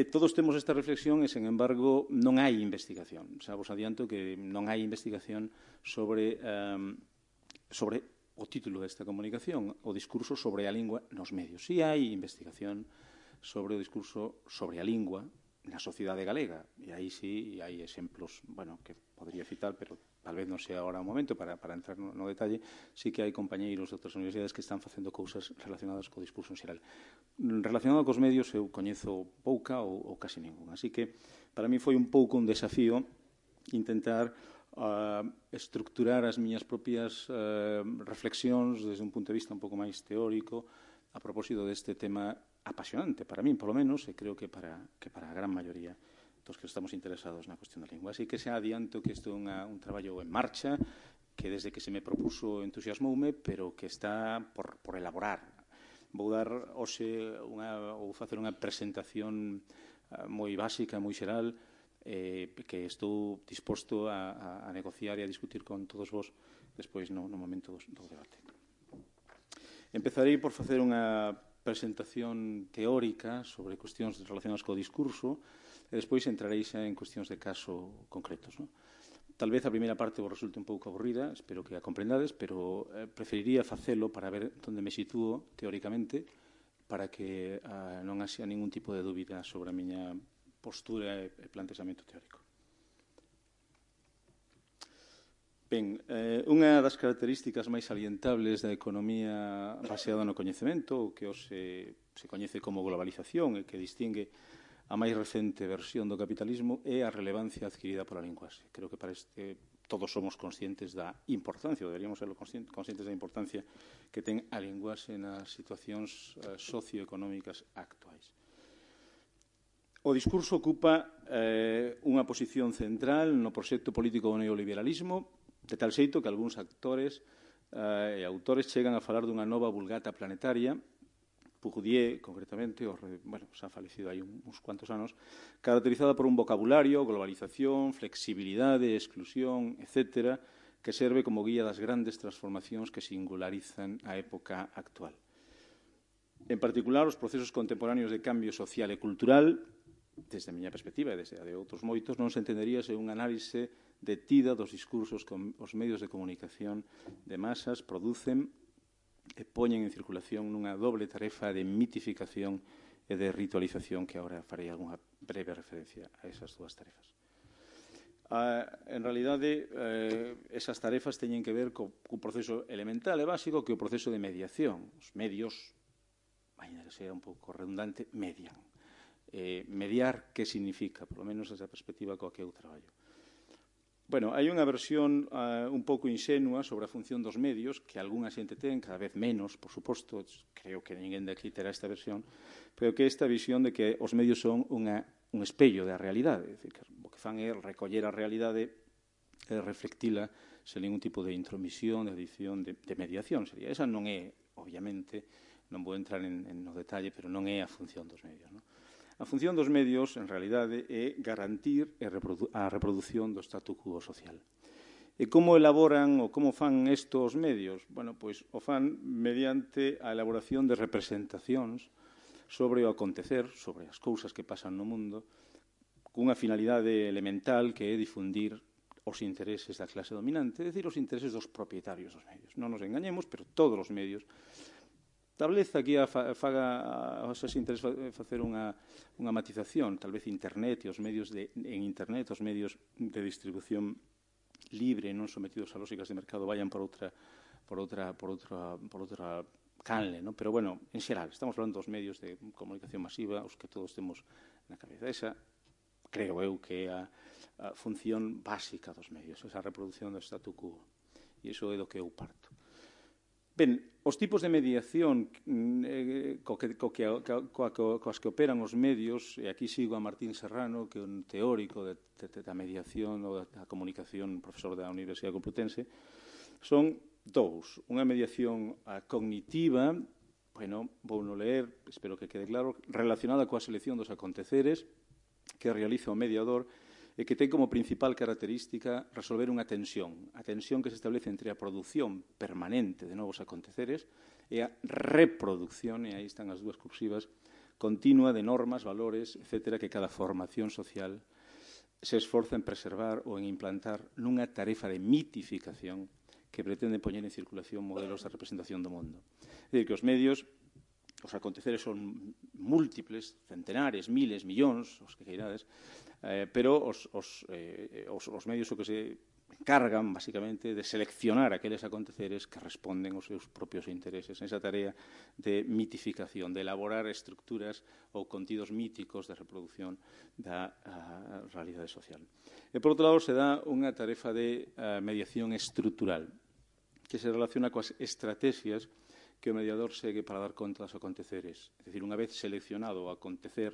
Todos temos esta reflexión e, sen embargo, non hai investigación. Xa vos adianto que non hai investigación sobre o título desta comunicación, o discurso sobre a lingua nos medios. Si hai investigación sobre o discurso sobre a lingua na sociedade galega, e aí sí hai exemplos, bueno, que podría citar, pero tal vez non sea agora o momento para entrar no detalle. Sí que hai compañeiros de outras universidades que están facendo cousas relacionadas co discurso en xeral. Relacionado cos medios eu coñezo pouca ou casi ninguna, así que para mí foi un pouco un desafío intentar estructurar as miñas propias reflexións desde un punto de vista un pouco máis teórico a propósito deste tema apasionante para min, polo menos, e creo que para a gran maioría dos que estamos interesados na cuestión da lingua. Así que xa adianto que isto é un traballo en marcha, que desde que se me propuso entusiasmoume, pero que está por elaborar. Vou dar hoxe ou facer unha presentación moi básica, moi xeral, que estou disposto a negociar e a discutir con todos vos despois no momento do debate. Empezarei por facer unha presentación teórica sobre cuestións relacionadas co discurso e despois entrarei xa en cuestións de caso concretos. Non? Tal vez a primeira parte vos resulte un pouco aburrida, espero que a comprendades, pero preferiría facelo para ver onde me sitúo teóricamente para que non haxa ningún tipo de dúbida sobre a miña postura e plantexamento teórico. Ben, unha das características máis salientables da economía baseada no coñecemento, o que se coñece como globalización e que distingue a máis recente versión do capitalismo, é a relevancia adquirida pola linguaxe. Creo que para todos somos conscientes da importancia, ou deberíamos ser conscientes da importancia que ten a linguaxe nas situacións socioeconómicas actuais. O discurso ocupa unha posición central no proxecto político do neoliberalismo, de tal xeito que algúns actores e autores chegan a falar dunha nova vulgata planetaria. Bourdieu, concretamente, xa falecido hai uns cuantos anos, caracterizada por un vocabulario, globalización, flexibilidade, exclusión, etc., que serve como guía das grandes transformacións que singularizan a época actual. En particular, os procesos contemporáneos de cambio social e cultural, desde a miña perspectiva e desde a de outros moitos, non se entendería sen un análise detida dos discursos que os medios de comunicación de masas producen e poñen en circulación nunha doble tarefa de mitificación e de ritualización, que agora farei algunha breve referencia a esas dúas tarefas. En realidade, esas tarefas teñen que ver co proceso elemental e básico que é o proceso de mediación. Os medios, ainda que sea un pouco redundante, median. Mediar, que significa? Por lo menos esa perspectiva coa que eu traballo. Bueno, hai unha versión un pouco inxenua sobre a función dos medios, que algunha xente ten, cada vez menos, por suposto, creo que ninguén de aquí terá esta versión, pero que esta visión de que os medios son un espello da realidade, é dicir, que o que fan é recoller a realidade e reflectila sen ningún tipo de intromisión, de adición, de mediación. Esa non é, obviamente, non vou entrar no detalle, pero non é a función dos medios, non? A función dos medios, en realidade, é garantir a reproducción do statu quo social. E como elaboran ou como fan estos medios? Bueno, pois o fan mediante a elaboración de representacións sobre o acontecer, sobre as cousas que pasan no mundo, cunha finalidade elemental que é difundir os intereses da clase dominante, é dicir, os intereses dos propietarios dos medios. Non nos engañemos, pero todos os medios estableza aquí se interesa facer unha matización, tal vez Internet e os medios en Internet, os medios de distribución libre, non sometidos a lógicas de mercado, vayan por outra canle, non? Pero, bueno, en xeral, estamos falando dos medios de comunicación masiva, os que todos temos na cabeza. Esa, creo eu, que é a función básica dos medios, esa reproducción do statu quo. E iso é do que eu parto. Ben, os tipos de mediación coas que operan os medios, e aquí sigo a Martín Serrano, que é un teórico da mediación ou da comunicación, profesor da Universidade Complutense, son dous. Unha mediación cognitiva, bueno, vou non ler, espero que quede claro, relacionada coa selección dos aconteceres que realiza o mediador e que ten como principal característica resolver unha tensión, a tensión que se establece entre a produción permanente de novos aconteceres e a reproducción, e aí están as dúas cursivas, continua de normas, valores, etc., que cada formación social se esforza en preservar ou en implantar nunha tarefa de mitificación que pretende poñer en circulación modelos de representación do mundo. É dicir, que os medios, os aconteceres son múltiples, centenares, miles, millóns, os que queirades, pero os medios o que se encargan, basicamente, de seleccionar aqueles aconteceres que responden aos seus propios intereses, esa tarea de mitificación, de elaborar estructuras ou contidos míticos de reproducción da realidade social. E, por outro lado, se dá unha tarefa de mediación estrutural, que se relaciona coas estrategias que o mediador segue para dar conta dos aconteceres. É dicir, unha vez seleccionado o acontecer,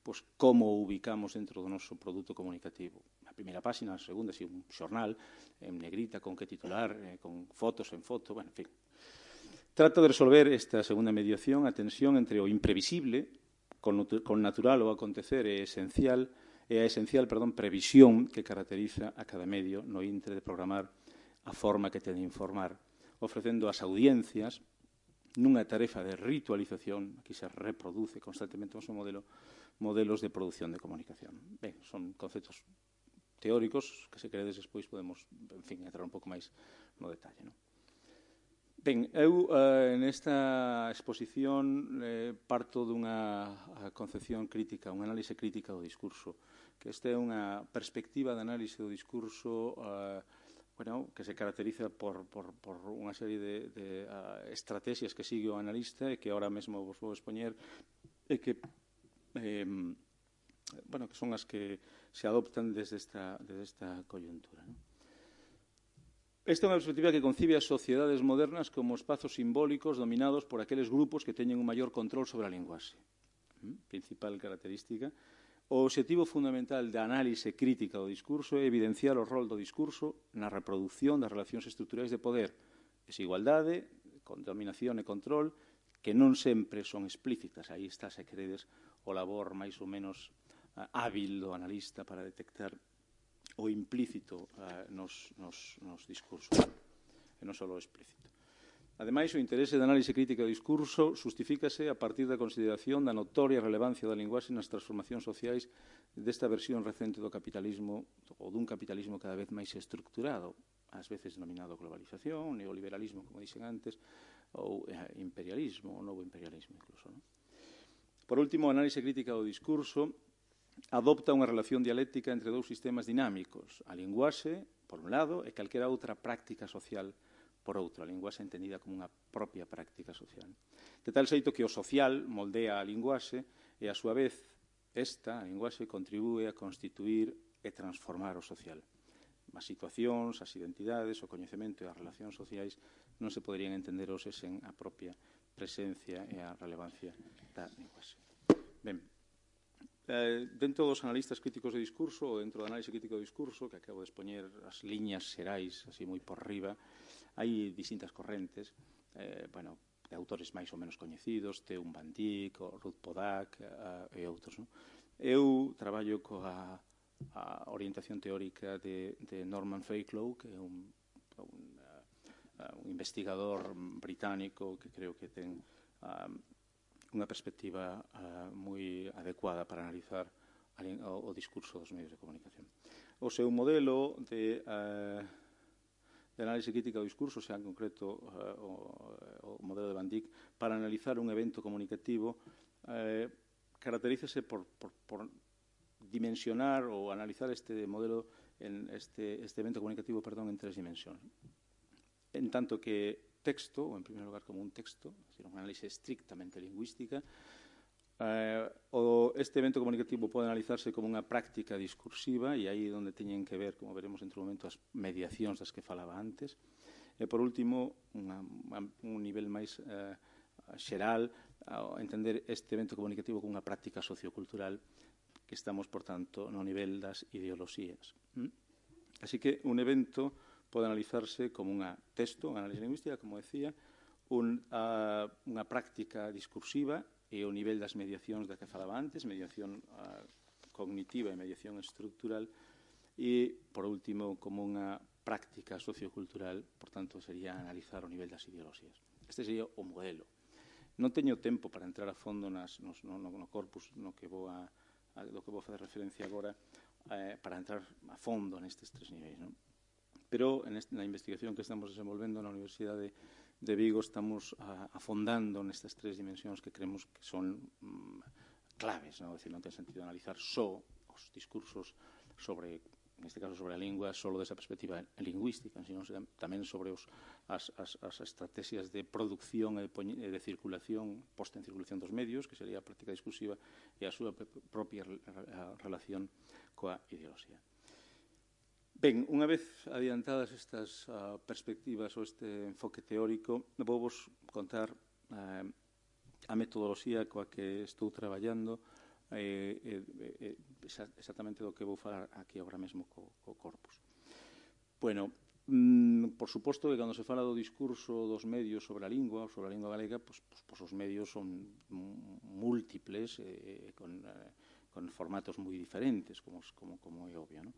pois como o ubicamos dentro do noso produto comunicativo. Na primeira página, na segunda, si un xornal, en negrita, con que titular, con fotos en foto, bueno, en fin. Trata de resolver esta segunda mediación a tensión entre o imprevisible, con natural o acontecer, e a esencial previsión que caracteriza a cada medio no intre de programar a forma que ten de informar, ofrecendo ás audiencias nunha tarefa de ritualización, aquí se reproduce constantemente o seu modelos de produción de comunicación. Ben, son conceptos teóricos que, se queredes, despois podemos, en fin, entrar un pouco máis no detalle, non? Ben, eu nesta exposición parto dunha concepción crítica, unha análise crítica do discurso, que esta é unha perspectiva de análise do discurso que se caracteriza por unha serie de estrategias que sigue o analista e que ahora mesmo vos vou expoñer e que que son as que se adoptan desde esta coyuntura, non? Esta é unha perspectiva que concibe as sociedades modernas como espazos simbólicos dominados por aqueles grupos que teñen un maior control sobre a linguaxe. Principal característica. O obxectivo fundamental da análise crítica do discurso é evidenciar o rol do discurso na reproducción das relacións estruturais de poder, desigualdade, dominación e control, que non sempre son explícitas. Aí está, se queredes, o labor máis ou menos hábil do analista para detectar o implícito nos discursos, e non só o explícito. Ademais, o interese da análise crítica do discurso justifícase a partir da consideración da notoria relevancia da linguaxe nas transformacións sociais desta versión recente do capitalismo, ou dun capitalismo cada vez máis estructurado, ás veces denominado globalización, neoliberalismo, como dixen antes, ou imperialismo, ou novo imperialismo incluso, non? Por último, a análise crítica do discurso adopta unha relación dialéctica entre dous sistemas dinámicos, a linguaxe, por un lado, e calquera outra práctica social, por outro, a linguaxe entendida como unha propia práctica social. De tal xeito que o social moldea a linguaxe e, a súa vez, esta, a linguaxe, contribúe a constituir e transformar o social. As situacións, as identidades, o coñecemento e as relacións sociais non se poderían entender hoxe sen a propia presencia e a relevancia da linguaxe. Ben, dentro dos analistas críticos de discurso ou dentro do análise crítico do discurso, que acabo de expoñer as liñas xerais, así moi por riba, hai distintas correntes, de autores máis ou menos coñecidos, Teun Van Dijk, Ruth Pollack e outros. Eu traballo coa orientación teórica de Norman Fakelow, que é un investigador británico que creo que ten unha perspectiva moi adecuada para analizar o discurso dos medios de comunicación. O seu modelo de análise crítica do discurso, xa en concreto o modelo de Van Dijk, para analizar un evento comunicativo, caracterízase por dimensionar ou analizar este modelo, este evento comunicativo, en tres dimensións. En tanto que texto, ou en primeiro lugar como un texto, é dicir, unha análise estrictamente lingüística, este evento comunicativo pode analizarse como unha práctica discursiva, e aí é onde teñen que ver, como veremos entre un momento, as mediacións das que falaba antes. E, por último, un nivel máis xeral, entender este evento comunicativo como unha práctica sociocultural, que estamos, por tanto, no nivel das ideoloxías. Así que un evento pode analizarse como un texto, unha análise lingüística, como decía, unha práctica discursiva e o nivel das mediacións da que falaba antes, mediación cognitiva e mediación estructural, e, por último, como unha práctica sociocultural, por tanto, sería analizar o nivel das ideoloxías. Este sería o modelo. Non teño tempo para entrar a fondo no corpus do que vou facer referencia agora, para entrar a fondo nestes tres niveis, non? Pero na investigación que estamos desenvolvendo na Universidade de Vigo estamos afondando nestas tres dimensións que creemos que son claves, non? Decir, non ten sentido analizar só os discursos sobre, neste caso sobre a lingua, só desa perspectiva lingüística, sino tamén sobre as estrategias de producción e de circulación, posta en circulación dos medios, que sería a práctica discursiva, e a súa propia relación coa ideoloxía. Ben, unha vez adiantadas estas perspectivas ou este enfoque teórico, vou vos contar a metodoloxía coa que estou traballando, exactamente do que vou falar aquí agora mesmo co corpus. Bueno, por suposto que cando se fala do discurso dos medios sobre a lingua galega, os medios son múltiples e con formatos moi diferentes, como é obvio, non?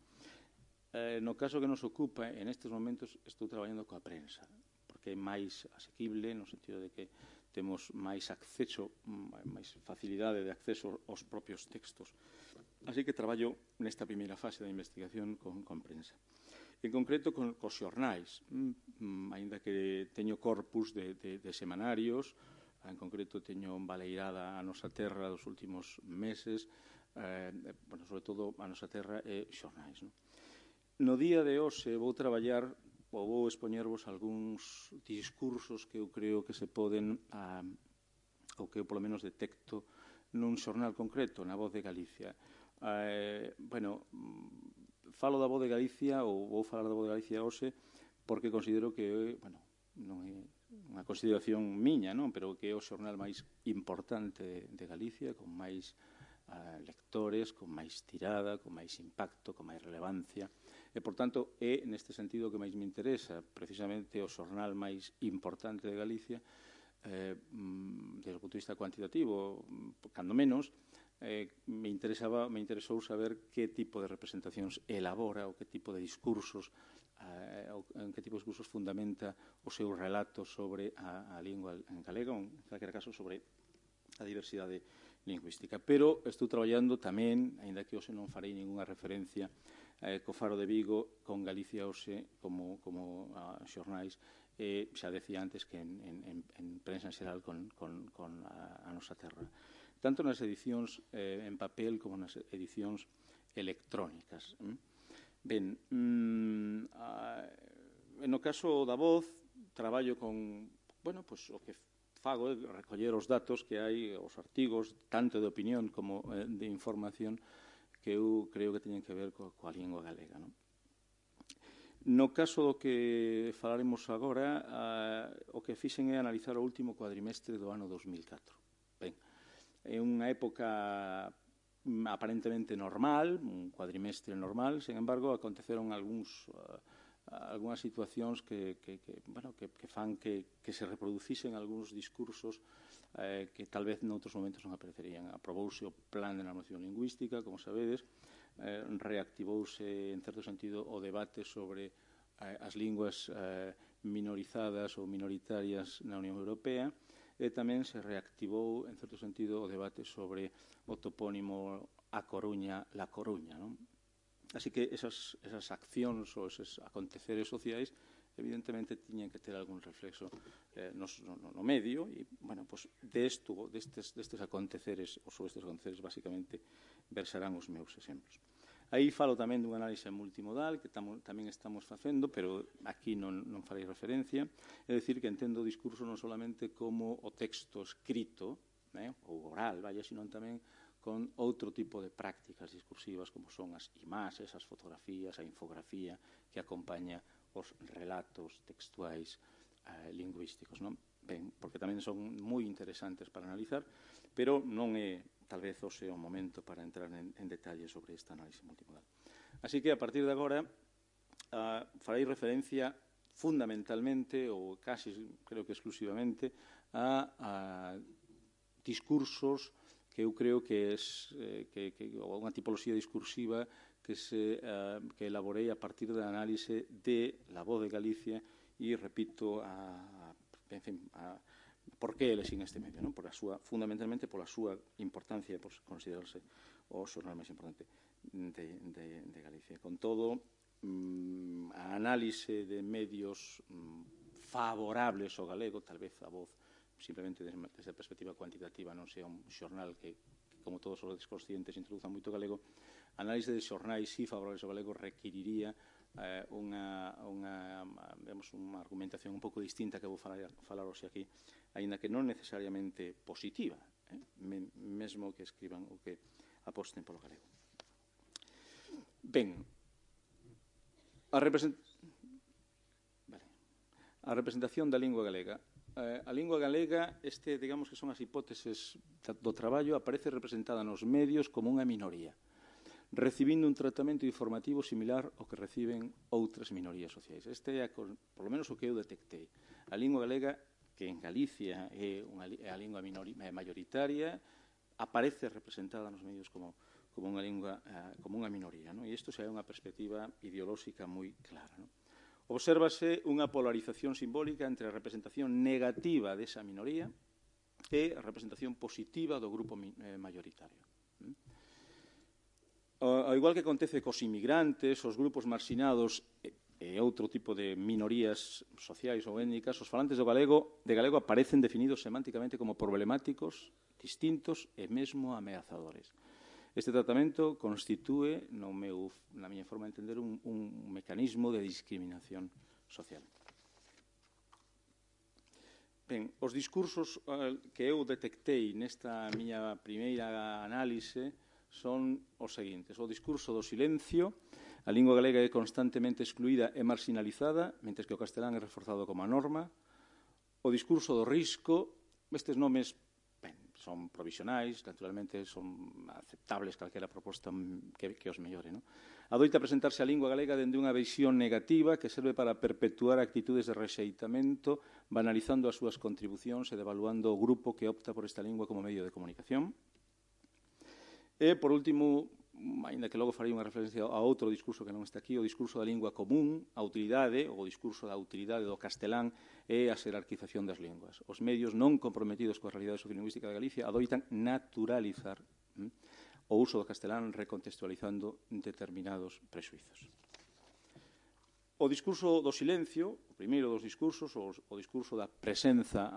No caso que nos ocupa, en estes momentos estou traballando coa prensa, porque é máis asequible, no sentido de que temos máis acceso, máis facilidade de acceso aos propios textos. Así que traballo nesta primeira fase da investigación con prensa. en concreto cos xornais, aínda que teño corpus de semanarios, en concreto teño baleirada a Nosa Terra dos últimos meses, sobre todo a Nosa Terra e xornais. No día de hoxe vou traballar ou vou expoñervos algúns discursos que eu creo que se poden, ou que eu polo menos detecto nun xornal concreto, na Voz de Galicia. Falo da Voz de Galicia, ou vou falar da Voz de Galicia hoxe, porque considero que, non é unha consideración miña, pero que é o xornal máis importante de Galicia, con máis lectores, con máis tirada, con máis impacto, con máis relevancia. E, por tanto, é, neste sentido, que máis me interesa, precisamente o xornal máis importante de Galicia, desde o punto de vista cuantitativo, cando menos, me interesou saber que tipo de representacións elabora ou que tipo de discursos en que tipo de discursos fundamenta o seu relato sobre a lingua en galega, ou, en calquera caso, sobre a diversidade lingüística. Pero estou traballando tamén, aínda que hoxe non farei ninguna referencia, co Faro de Vigo, con Galicia hoxe como xornais, xa decía antes que en prensa en xeral con a Nosa Terra. Tanto nas edicións en papel como nas edicións electrónicas. Ben, no caso da Voz, traballo con, o que fago é recoller os datos que hai, os artigos, tanto de opinión como de información, que eu creo que teñen que ver coa lingua galega. No caso do que falaremos agora, o que fixen é analizar o último cuadrimestre do ano 2004. Ben, é unha época aparentemente normal, un cuadrimestre normal, sen embargo, aconteceron algunhas situacións que fan que se reproducisen algúns discursos que tal vez noutros momentos non aparecerían. Aprobouse o Plan de Normalización Lingüística, como sabedes, reactivouse, en certo sentido, o debate sobre as linguas minorizadas ou minoritarias na Unión Europea, e tamén se reactivou, en certo sentido, o debate sobre o topónimo A Coruña, La Coruña. Así que esas accións ou esos aconteceres sociais evidentemente tiñen que ter algún reflexo no medio e, destes aconteceres, ou sobre estes aconteceres, basicamente, versarán os meus exemplos. Aí falo tamén dun análise multimodal que tamén estamos facendo, pero aquí non farei referencia. É dicir, que entendo o discurso non solamente como o texto escrito, ou oral, sino tamén con outro tipo de prácticas discursivas, como son as imaxes, as fotografías, a infografía que acompaña os relatos textuais lingüísticos. Ben, porque tamén son moi interesantes para analizar, pero non é tal vez hoxe o momento para entrar en detalle sobre esta análise multimodal. Así que, a partir de agora, farei referencia fundamentalmente, ou casi, creo que exclusivamente, a discursos que eu creo que ou unha tipoloxía discursiva que elaborei a partir da análise de La Voz de Galicia e, repito, por que elexín este medio, fundamentalmente pola súa importancia, por considerarse o xornal máis importante de Galicia. Con todo, a análise de medios favorables ao galego, tal vez a Voz, simplemente desde a perspectiva cuantitativa, non sea un xornal que, como todos os conscientes, introduza moito galego. A análise de xornais si favorables ao galego requiriría unha argumentación un pouco distinta que vou falar hoxe aquí, aínda que non necesariamente positiva, mesmo que escriban ou que aposten polo galego. Ben, a representación da lingua galega. A lingua galega, digamos que son as hipóteses do traballo, aparece representada nos medios como unha minoría, recibindo un tratamento informativo similar ao que reciben outras minorías sociais. Este é, por lo menos, o que eu detectei. A lingua galega, que en Galicia é a lingua mayoritaria, aparece representada nos medios como unha lingua, como unha minoría. E isto xa é unha perspectiva ideolóxica moi clara. Obsérvase unha polarización simbólica entre a representación negativa desa minoría e a representación positiva do grupo mayoritario. Ao igual que acontece cos inmigrantes, os grupos marxinados e outro tipo de minorías sociais ou étnicas, os falantes de galego aparecen definidos semánticamente como problemáticos, distintos e mesmo ameazadores. Este tratamento constitúe, na miña forma de entender, un mecanismo de discriminación social. Ben, os discursos que eu detectei nesta miña primeira análise son os seguintes. O discurso do silencio. A lingua galega é constantemente excluída e marginalizada, mentres que o castelán é reforzado como a norma. O discurso do risco. Estes nomes son provisionais, naturalmente son aceptables calquera proposta que os mellore. Adoita presentarse a lingua galega dende unha visión negativa que serve para perpetuar actitudes de rexeitamento, banalizando as súas contribucións e devaluando o grupo que opta por esta lingua como medio de comunicación. E, por último, ainda que logo farei unha referencia a outro discurso que non está aquí, o discurso da lingua común, a utilidade, ou o discurso da utilidade do castelán e a xerarquización das linguas. Os medios non comprometidos coa realidade sociolingüística de Galicia adoitan naturalizar o uso do castelán recontextualizando determinados prexuizos. O discurso do silencio, o primeiro dos discursos, o discurso da presenza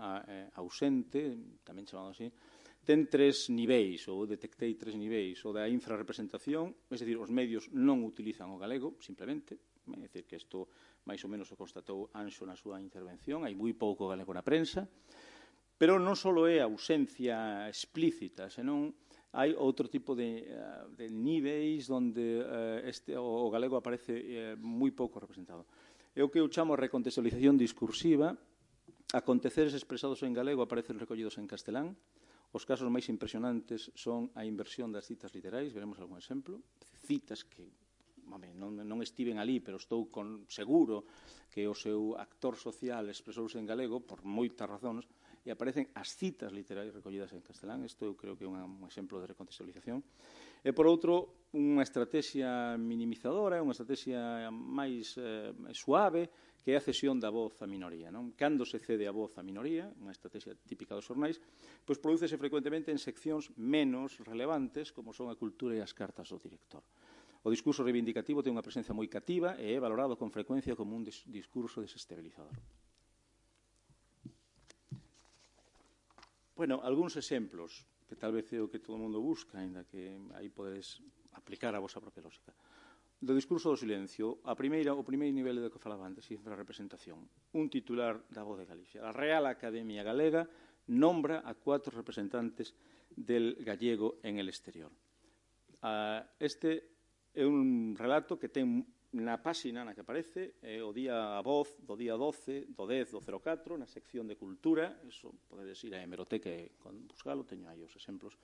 ausente, tamén chamado así, ten tres niveis, ou detectei tres niveis. O da infrarrepresentación, é dicir, os medios non utilizan o galego, simplemente, é dicir, que isto máis ou menos o constatou Anxo na súa intervención, hai moi pouco galego na prensa, pero non só é ausencia explícita, senón hai outro tipo de niveis onde o galego aparece moi pouco representado. É o que eu chamo recontextualización discursiva. Aconteceres expresados en galego aparecen recollidos en castelán. Os casos máis impresionantes son a inversión das citas literais, veremos algún exemplo, citas que non estiven ali, pero estou seguro que o seu actor social expresouse en galego por moitas razóns, e aparecen as citas literais recollidas en castelán. Isto eu creo que é un exemplo de recontextualización. E, por outro, unha estrategia minimizadora, unha estrategia máis suave, que é a cesión da voz á minoría. Cando se cede a voz á minoría, unha estrategia típica dos xornais, pois prodúcese frecuentemente en seccións menos relevantes, como son a cultura e as cartas do director. O discurso reivindicativo ten unha presencia moi cativa e é valorado con frecuencia como un discurso desestabilizador. Bueno, algúns exemplos, que tal vez é o que todo o mundo busca, ainda que aí podedes aplicar a vosa propia lógica. Do discurso do silencio, o primeiro nivel do que falaba antes, a representación. Un titular da Voz de Galicia. A Real Academia Galega nombra a 4 representantes del gallego en el exterior. Este é un relato que ten na páxina na que aparece o día a voz do día 12 do 10 do 04 na sección de cultura. Eso podedes ir á hemeroteca e buscalo, teño aí os exemplos.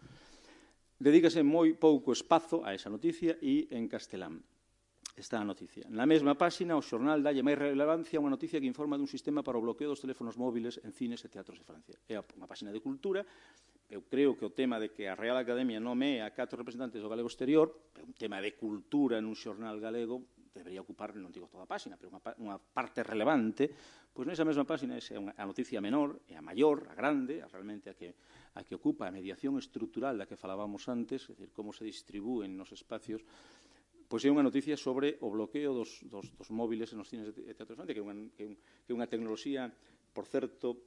Dedícase moi pouco espazo a esa noticia e en castelán está a noticia. Na mesma páxina, o xornal dalle máis relevancia a unha noticia que informa dun sistema para o bloqueo dos teléfonos móviles en cines e teatros de Francia. É unha páxina de cultura. Eu creo que o tema de que a Real Academia nomee a 4 representantes do galego exterior é un tema de cultura nun xornal galego, debería ocupar, non digo toda a páxina, pero unha parte relevante. Pois nesa mesma páxina é a noticia menor, e a maior, a grande, realmente a que ocupa a mediación estrutural da que falábamos antes, é dicir, como se distribúen nos espacios. Pois é unha noticia sobre o bloqueo dos móviles nos cines e teatros de Francia, que é unha tecnoloxía, por certo,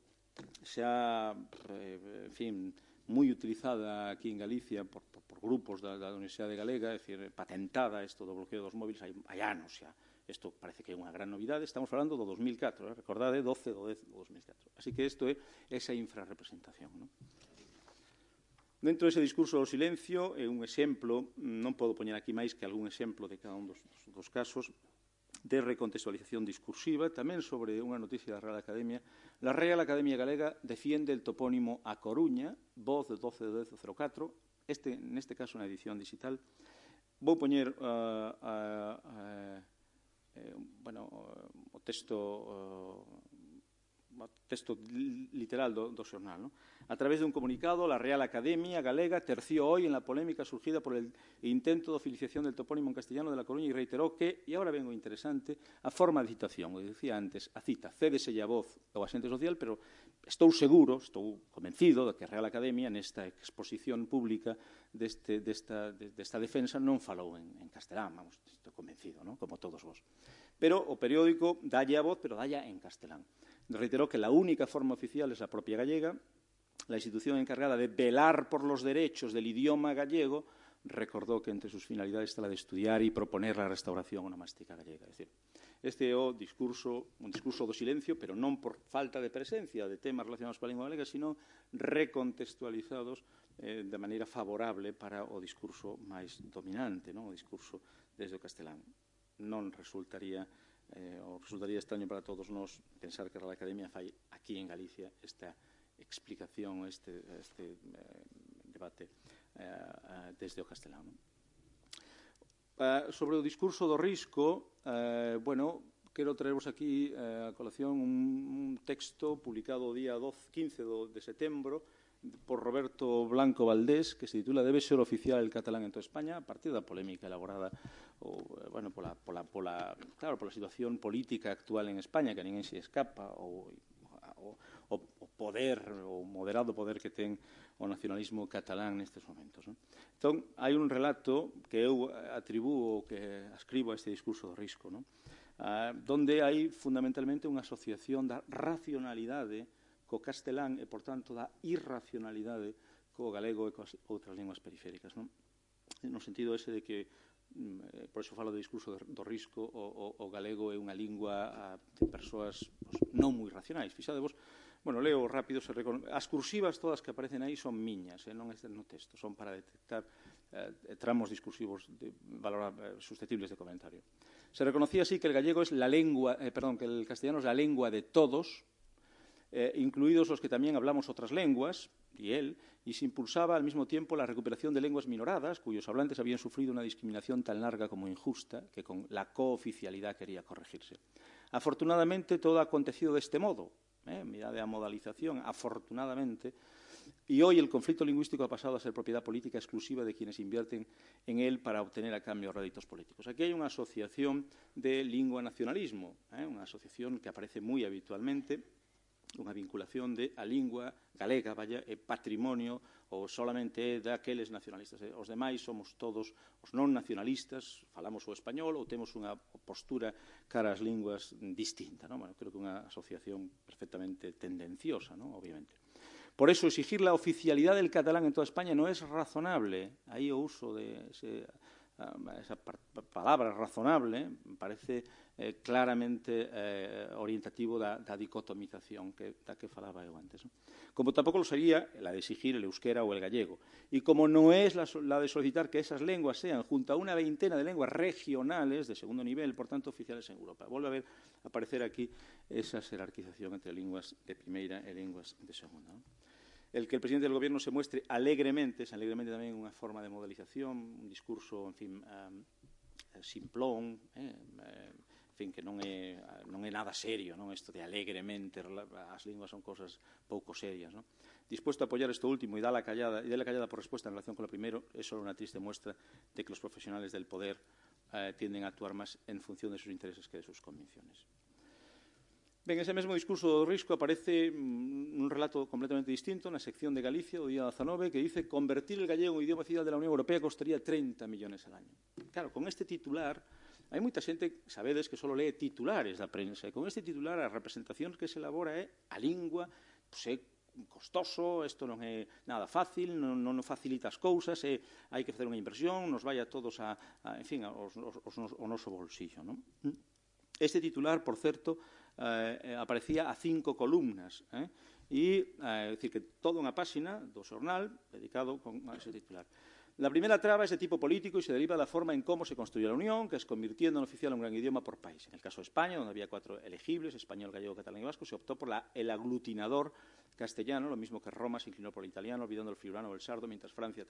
xa, en fin, moi utilizada aquí en Galicia por grupos da Universidade Galega, é dicir, patentada isto do bloqueo dos móviles hai anos xa. Isto parece que é unha gran novidade. Estamos falando do 2004, recordade, 12 do 10 do 2004. Así que isto é esa infrarrepresentación, non? Dentro dese discurso do silencio, é un exemplo, non podo poñer aquí máis que algún exemplo de cada un dos casos, de recontextualización discursiva, tamén sobre unha noticia da Real Academia. La Real Academia Galega defiende el topónimo A Coruña, voz de 12 de 10.04, neste caso na edición digital. Vou poñer o texto literal do xornal. A través de un comunicado, la Real Academia Galega terció hoy en la polémica surgida por el intento de oficialización del topónimo en castellano de La Coruña y reiteró que, e agora ven o interesante, a forma de citación, o decía antes, a cita, cédese a voz ao axente social, pero estou seguro, estou convencido de que a Real Academia nesta exposición pública desta defensa non falou en castelán, vamos, estou convencido, non? Como todos vos. Pero o periódico dalle a voz, pero dalle en castelán. Reiteró que la única forma oficial es la propia gallega. La institución encargada de velar por los derechos del idioma gallego recordó que entre sus finalidades está la de estudiar y proponer la restauración onomástica gallega. É dicir, este é un discurso do silencio, pero non por falta de presencia de temas relacionados coa lingua galega, sino recontextualizados de maneira favorable para o discurso máis dominante, o discurso desde o castelán. Non resultaría extraño para todos nós pensar que a Real Academia fai aquí en Galicia esta explicación, este debate desde o castelán. Sobre o discurso do risco, quero traervos aquí a colación un texto publicado o día 15 de setembro por Roberto Blanco Valdés, que se titula «Debe ser oficial el catalán en toda España», a partir da polémica elaborada pola situación política actual en España, que a ninguén se escapa, o poder, o moderado poder que ten o nacionalismo catalán nestes momentos. Entón, hai un relato que eu atribúo, que ascribo a este discurso do risco, donde hai fundamentalmente unha asociación da racionalidade co castelán e, por tanto, da irracionalidade co galego e coas outras linguas periféricas. No sentido ese de que, por iso falo do discurso do risco, o galego é unha lingua de persoas non moi racionais. Fixadevos, leo rápido, as cursivas todas que aparecen aí son miñas, non están no texto, son para detectar tramos discursivos susceptibles de comentario. Se reconocía así que el gallego es la lengua, que el castellano es la lengua de todos, incluidos los que también hablamos otras lenguas, y se impulsaba al mismo tiempo la recuperación de lenguas minoradas, cuyos hablantes habían sufrido una discriminación tan larga como injusta, que con la cooficialidad quería corregirse. Afortunadamente, todo ha acontecido de este modo. Mirad a modalización, afortunadamente, y hoy el conflicto lingüístico ha pasado a ser propiedad política exclusiva de quienes invierten en él para obtener a cambio réditos políticos. Aquí hay una asociación de lingua nacionalismo, una asociación que aparece muy habitualmente, unha vinculación de a lingua galega, patrimonio ou solamente daqueles nacionalistas. Os demais somos todos os non nacionalistas, falamos o español ou temos unha postura cara ás linguas distinta. Creo que é unha asociación perfectamente tendenciosa, obviamente. Por eso, exigir la oficialidad del catalán en toda España no es razonable. Aí o uso de esa palabra razonable parece claramente orientativo da dicotomización da que falaba eu antes. Como tampouco lo sería la de exigir el euskera o el gallego. Y como no es la de solicitar que esas lenguas sean, junto a una veintena de lenguas regionales de segundo nivel, por tanto, oficiales en Europa. Vuelve a aparecer aquí esa jerarquización entre lenguas de primera e lenguas de segunda. El que el presidente del Gobierno se muestre alegremente, es alegremente tamén unha forma de modelización, un discurso, en fin, simplón, que non é nada serio, isto de alegremente, as linguas son cosas pouco serias. Dispuesto a apoyar esto último y dar la callada por respuesta en relación con lo primero, es solo una triste muestra de que los profesionales del poder tienden a actuar más en función de sus intereses que de sus convicciones. Ben, ese mesmo discurso do risco aparece un relato completamente distinto na sección de Galicia do día 19 que dice convertir el gallego en idioma oficial de la Unión Europea costaría 30 millones al año. Claro, con este titular, hai moita xente, sabedes, que só lee titulares da prensa, e con este titular a representación que se elabora é a lingua, é costoso, isto non é nada fácil, non facilita as cousas, hai que facer unha inversión, nos vai a todos ao noso bolsillo. Este titular, por certo, aparecía a 5 columnas, é dicir, que toda unha páxina do xornal dedicado a ese titular. La primera traba es de tipo político y se deriva de la forma en cómo se construyó la Unión, que es convirtiendo en oficial un gran idioma por país. En el caso de España, donde había 4 elegibles, español, gallego, catalán y vasco, se optó por el aglutinador castellano, lo mismo que Roma se inclinó por el italiano, olvidando el friulano o el sardo, mientras Francia...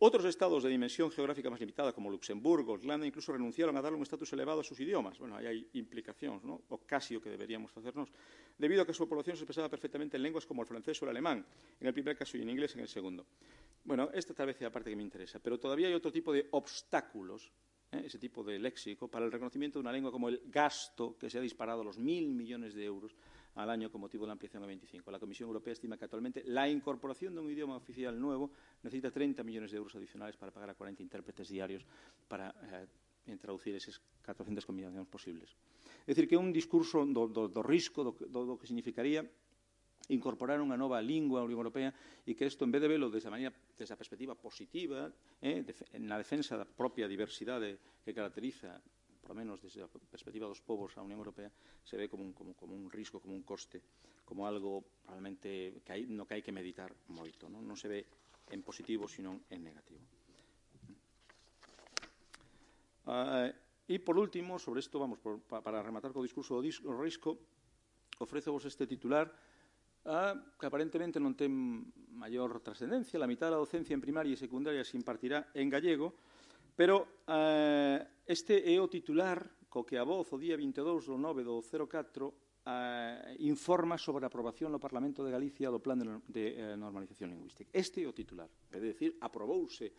Otros estados de dimensión geográfica más limitada, como Luxemburgo, Irlanda, incluso renunciaron a darle un estatus elevado a sus idiomas. Bueno, ahí hay implicacións, o casi o que deberíamos facernos, debido a que su población se expresaba perfectamente en lenguas como el francés o el alemán, en el primer caso, y en inglés en el segundo. Bueno, esta tal vez es la parte que me interesa, pero todavía hay otro tipo de obstáculos, ese tipo de léxico, para el reconocimiento de una lengua como el gasto, que se ha disparado a los 1.000 millones de euros al año con motivo de la ampliación a 25. La Comisión Europea estima que actualmente la incorporación de un idioma oficial nuevo necesita 30 millones de euros adicionales para pagar a 40 intérpretes diarios para en traducir esas 400 combinacións posibles. É dicir, que é un discurso do risco, do que significaría incorporar unha nova lingua á Unión Europea e que isto, en vez de velo desde a perspectiva positiva, na defensa da propia diversidade que caracteriza, por lo menos desde a perspectiva dos povos á Unión Europea, se ve como un risco, como un coste, como algo realmente no que hai que meditar moito. Non se ve en positivo, sino en negativo. E, por último, sobre isto, para rematar co discurso do risco, ofrezovos este titular que aparentemente non ten maior trascendencia. La mitad da docencia en primaria e secundaria se impartirá en gallego, pero este é o titular co que a Voz, o día 22 do 9 do 04, informa sobre a aprobación no Parlamento de Galicia do Plan de Normalización Lingüística. Este é o titular. É dicir, aprobouse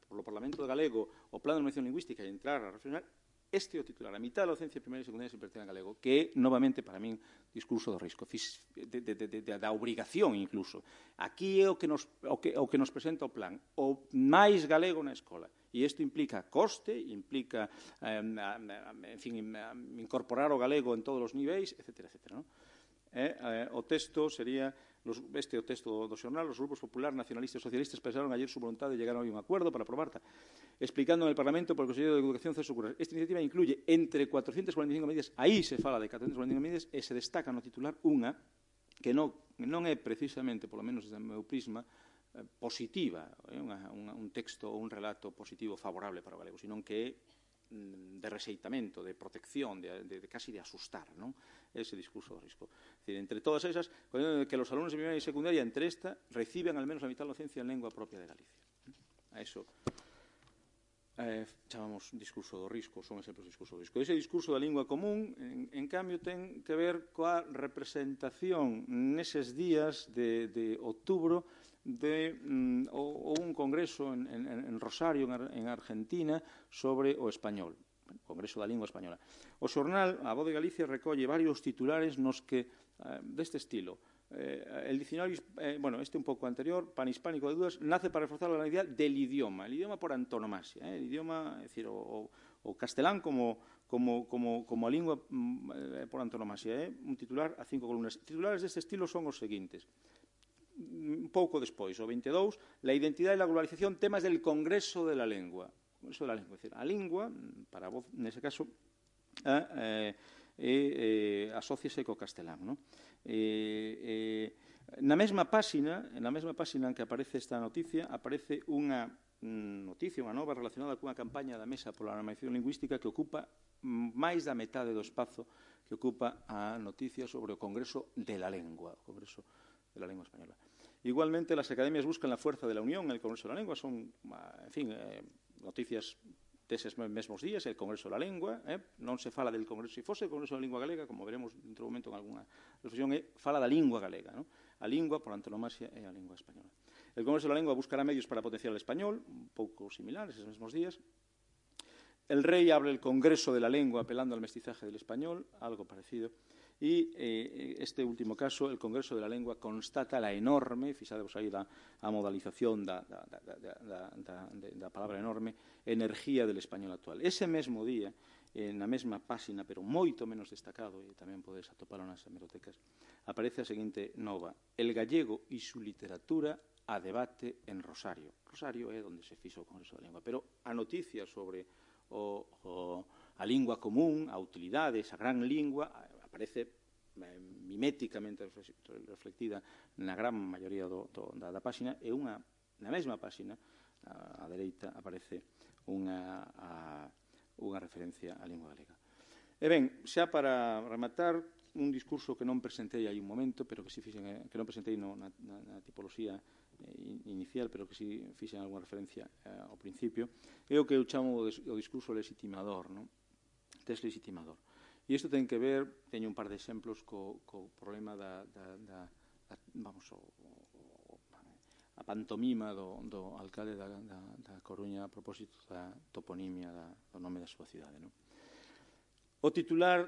polo Parlamento galego o Plan de Normalización Lingüística e entrar a reflexionar. Este é o titular. A mitad da docencia primaria e secundaria se impartirá en galego, que é, novamente, para min, discurso do risco, da obrigación, incluso. Aquí é o que nos presenta o plan. O máis galego na escola. E isto implica coste, implica, en fin, incorporar o galego en todos os niveis, etc. O texto sería, este é o texto do xornal, os grupos popular, nacionalistas e socialistas expresaron ayer su voluntad de llegar a un acuerdo para aprobarla, explicando en el Parlamento por el Consejo de Educación César Curras. Esta iniciativa incluye entre 445 medidas, aí se fala de 445 medidas, e se destaca no titular unha que non é precisamente, polo menos desde o meu prisma, positiva, un texto ou un relato positivo favorable para o galego, sino que é de rexeitamento, de protección, casi de asustar, non? Ese discurso do risco. Es decir, entre todas esas, que los alumnos de primaria y secundaria, entre esta, reciben al menos la mitad de la docencia en lengua propia de Galicia. A eso chamamos discurso do risco, son exemplos de discurso do risco. Ese discurso da lingua común, en cambio, ten que ver coa representación neses días de outubro ou un congreso en Rosario, en Argentina, sobre o español, o Congreso da Lingua Española. O xornal, a Voz de Galicia, recolle varios titulares nos que, deste estilo, el diccionario, este un pouco anterior, panhispánico de dudas, nace para reforzar la realidad del idioma, el idioma por antonomasia, el idioma, é dicir, o castelán como a lingua por antonomasia, un titular a 5 columnas. Titulares deste estilo son os seguintes. Un pouco despois, o 22, la identidad y la globalización, temas del Congreso de la Lengua. Congreso de la Lengua, é dicir, a lingua, para a Voz, nese caso, asóciase co castelán, non? Na mesma páxina en que aparece esta noticia, aparece unha noticia, unha nova relacionada cunha campaña da Mesa pola Normalización Lingüística que ocupa máis da metade do espazo que ocupa a noticia sobre o Congreso de la Lengua, o Congreso de la Lengua Española. Igualmente, las academias buscan la fuerza de la unión en el Congreso de la Lengua. Son, en fin, noticias deses mesmos días, el Congreso de la Lengua. Non se fala del Congreso, se fose o Congreso da Lingua Galega, como veremos dentro do momento en alguna reflexión, fala da lingua galega, non? A lingua, por antonomasia, é a lingua española. El Congreso de la Lengua buscará medios para potenciar el español, un pouco similares esos mesmos días. El rey abre el Congreso de la Lengua apelando al mestizaje del español, algo parecido. E este último caso, el Congreso de la Lengua constata la enorme, fixadevos aí a modalización da palabra enorme, energía del español actual. Ese mesmo día, na mesma páxina, pero moito menos destacado, e tamén podes atopalo nas hemerotecas, aparece a seguinte nova: el gallego e su literatura a debate en Rosario. Rosario é onde se fixo o Congreso da Lengua, pero a noticia sobre a lingua común, a utilidade, esa gran lingua, aparece miméticamente reflectida na gran maioría da páxina, e na mesma páxina, á dereita, aparece unha referencia á lingua galega. E ben, xa para rematar, un discurso que non presentei hai un momento, pero que non presentei na tipoloxía inicial, pero que si fixen algunha referencia ao principio, é o que eu chamo o discurso legitimador, non? Deslexitimador. E isto ten que ver, teño un par de exemplos, co problema a pantomima do alcalde da Coruña a propósito da toponimia do nome da súa cidade. O titular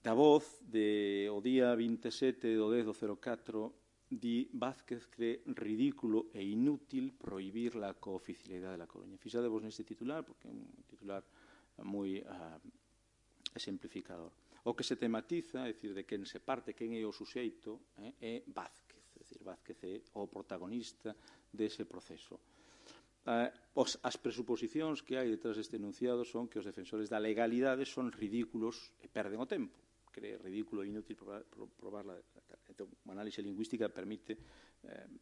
da Voz o día 27 do 10 do 04 di Vázquez que é ridículo e inútil prohibir la cooficialidade da Coruña. Fixadevos neste titular, porque é un titular moi exemplificador. O que se tematiza, é dicir, de quen se parte, quen é o suxeito, é Vázquez. É dicir, Vázquez é o protagonista dese proceso. As presuposicións que hai detrás deste enunciado son que os defensores da legalidade son ridículos e perden o tempo. Que é ridículo e inútil probarla. Entón, unha análise lingüística permite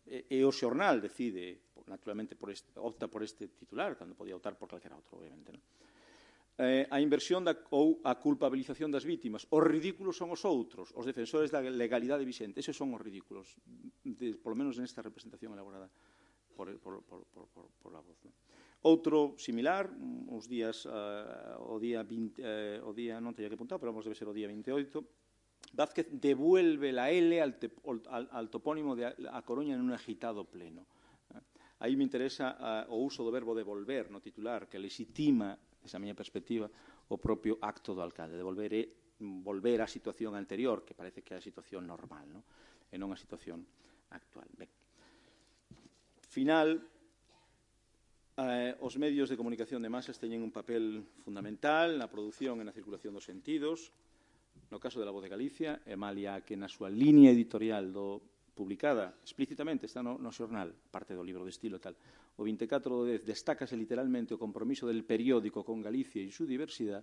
e o xornal decide, naturalmente opta por este titular, cando podía optar por calquera outro, obviamente, non? A inversión ou a culpabilización das vítimas. Os ridículos son os outros, os defensores da legalidade vixente. Eses son os ridículos, polo menos nesta representación elaborada por a voz. Outro similar, uns días, o día 20, o día non teña que apuntar, pero vamos, debe ser o día 28, Vázquez devuelve la L al topónimo de A Coruña en un agitado pleno. Aí me interesa o uso do verbo devolver no titular, que legitima, desa miña perspectiva, o propio acto do alcalde. Devolver é volver á situación anterior, que parece que é a situación normal, non? E non a situación actual. Ben. Final, os medios de comunicación de masas teñen un papel fundamental na produción e na circulación dos sentidos. No caso de La Voz de Galicia, e malia que na súa línea editorial publicada explícitamente, está no xornal, parte do libro de estilo e tal, o 24 de 10 destácase literalmente o compromiso del periódico con Galicia e su diversidade,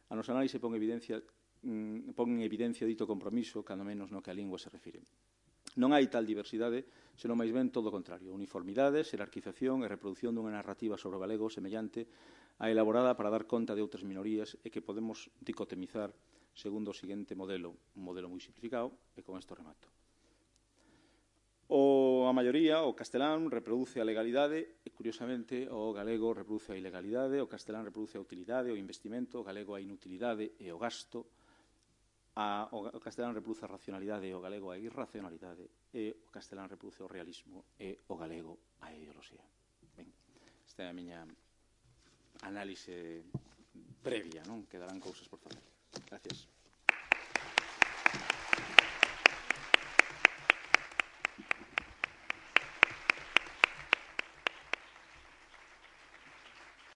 a nosa análise pon en evidencia dito compromiso, cando menos no que a lingua se refire. Non hai tal diversidade, senón máis ben todo o contrario, uniformidade, xerarquización e reproducción dunha narrativa sobre o galego semellante a elaborada para dar conta de outras minorías e que podemos dicotomizar segundo o seguinte modelo, un modelo moi simplificado, e con isto remato. A maioría, o castelán, reproduce a legalidade e, curiosamente, o galego reproduce a ilegalidade, o castelán reproduce a utilidade, o investimento, o galego a inutilidade e o gasto, o castelán reproduce a racionalidade e o galego a irracionalidade, e o castelán reproduce o realismo e o galego a ideoloxía. Ben, esta é a miña análise previa, non? Quedarán cousas por facer. Gracias.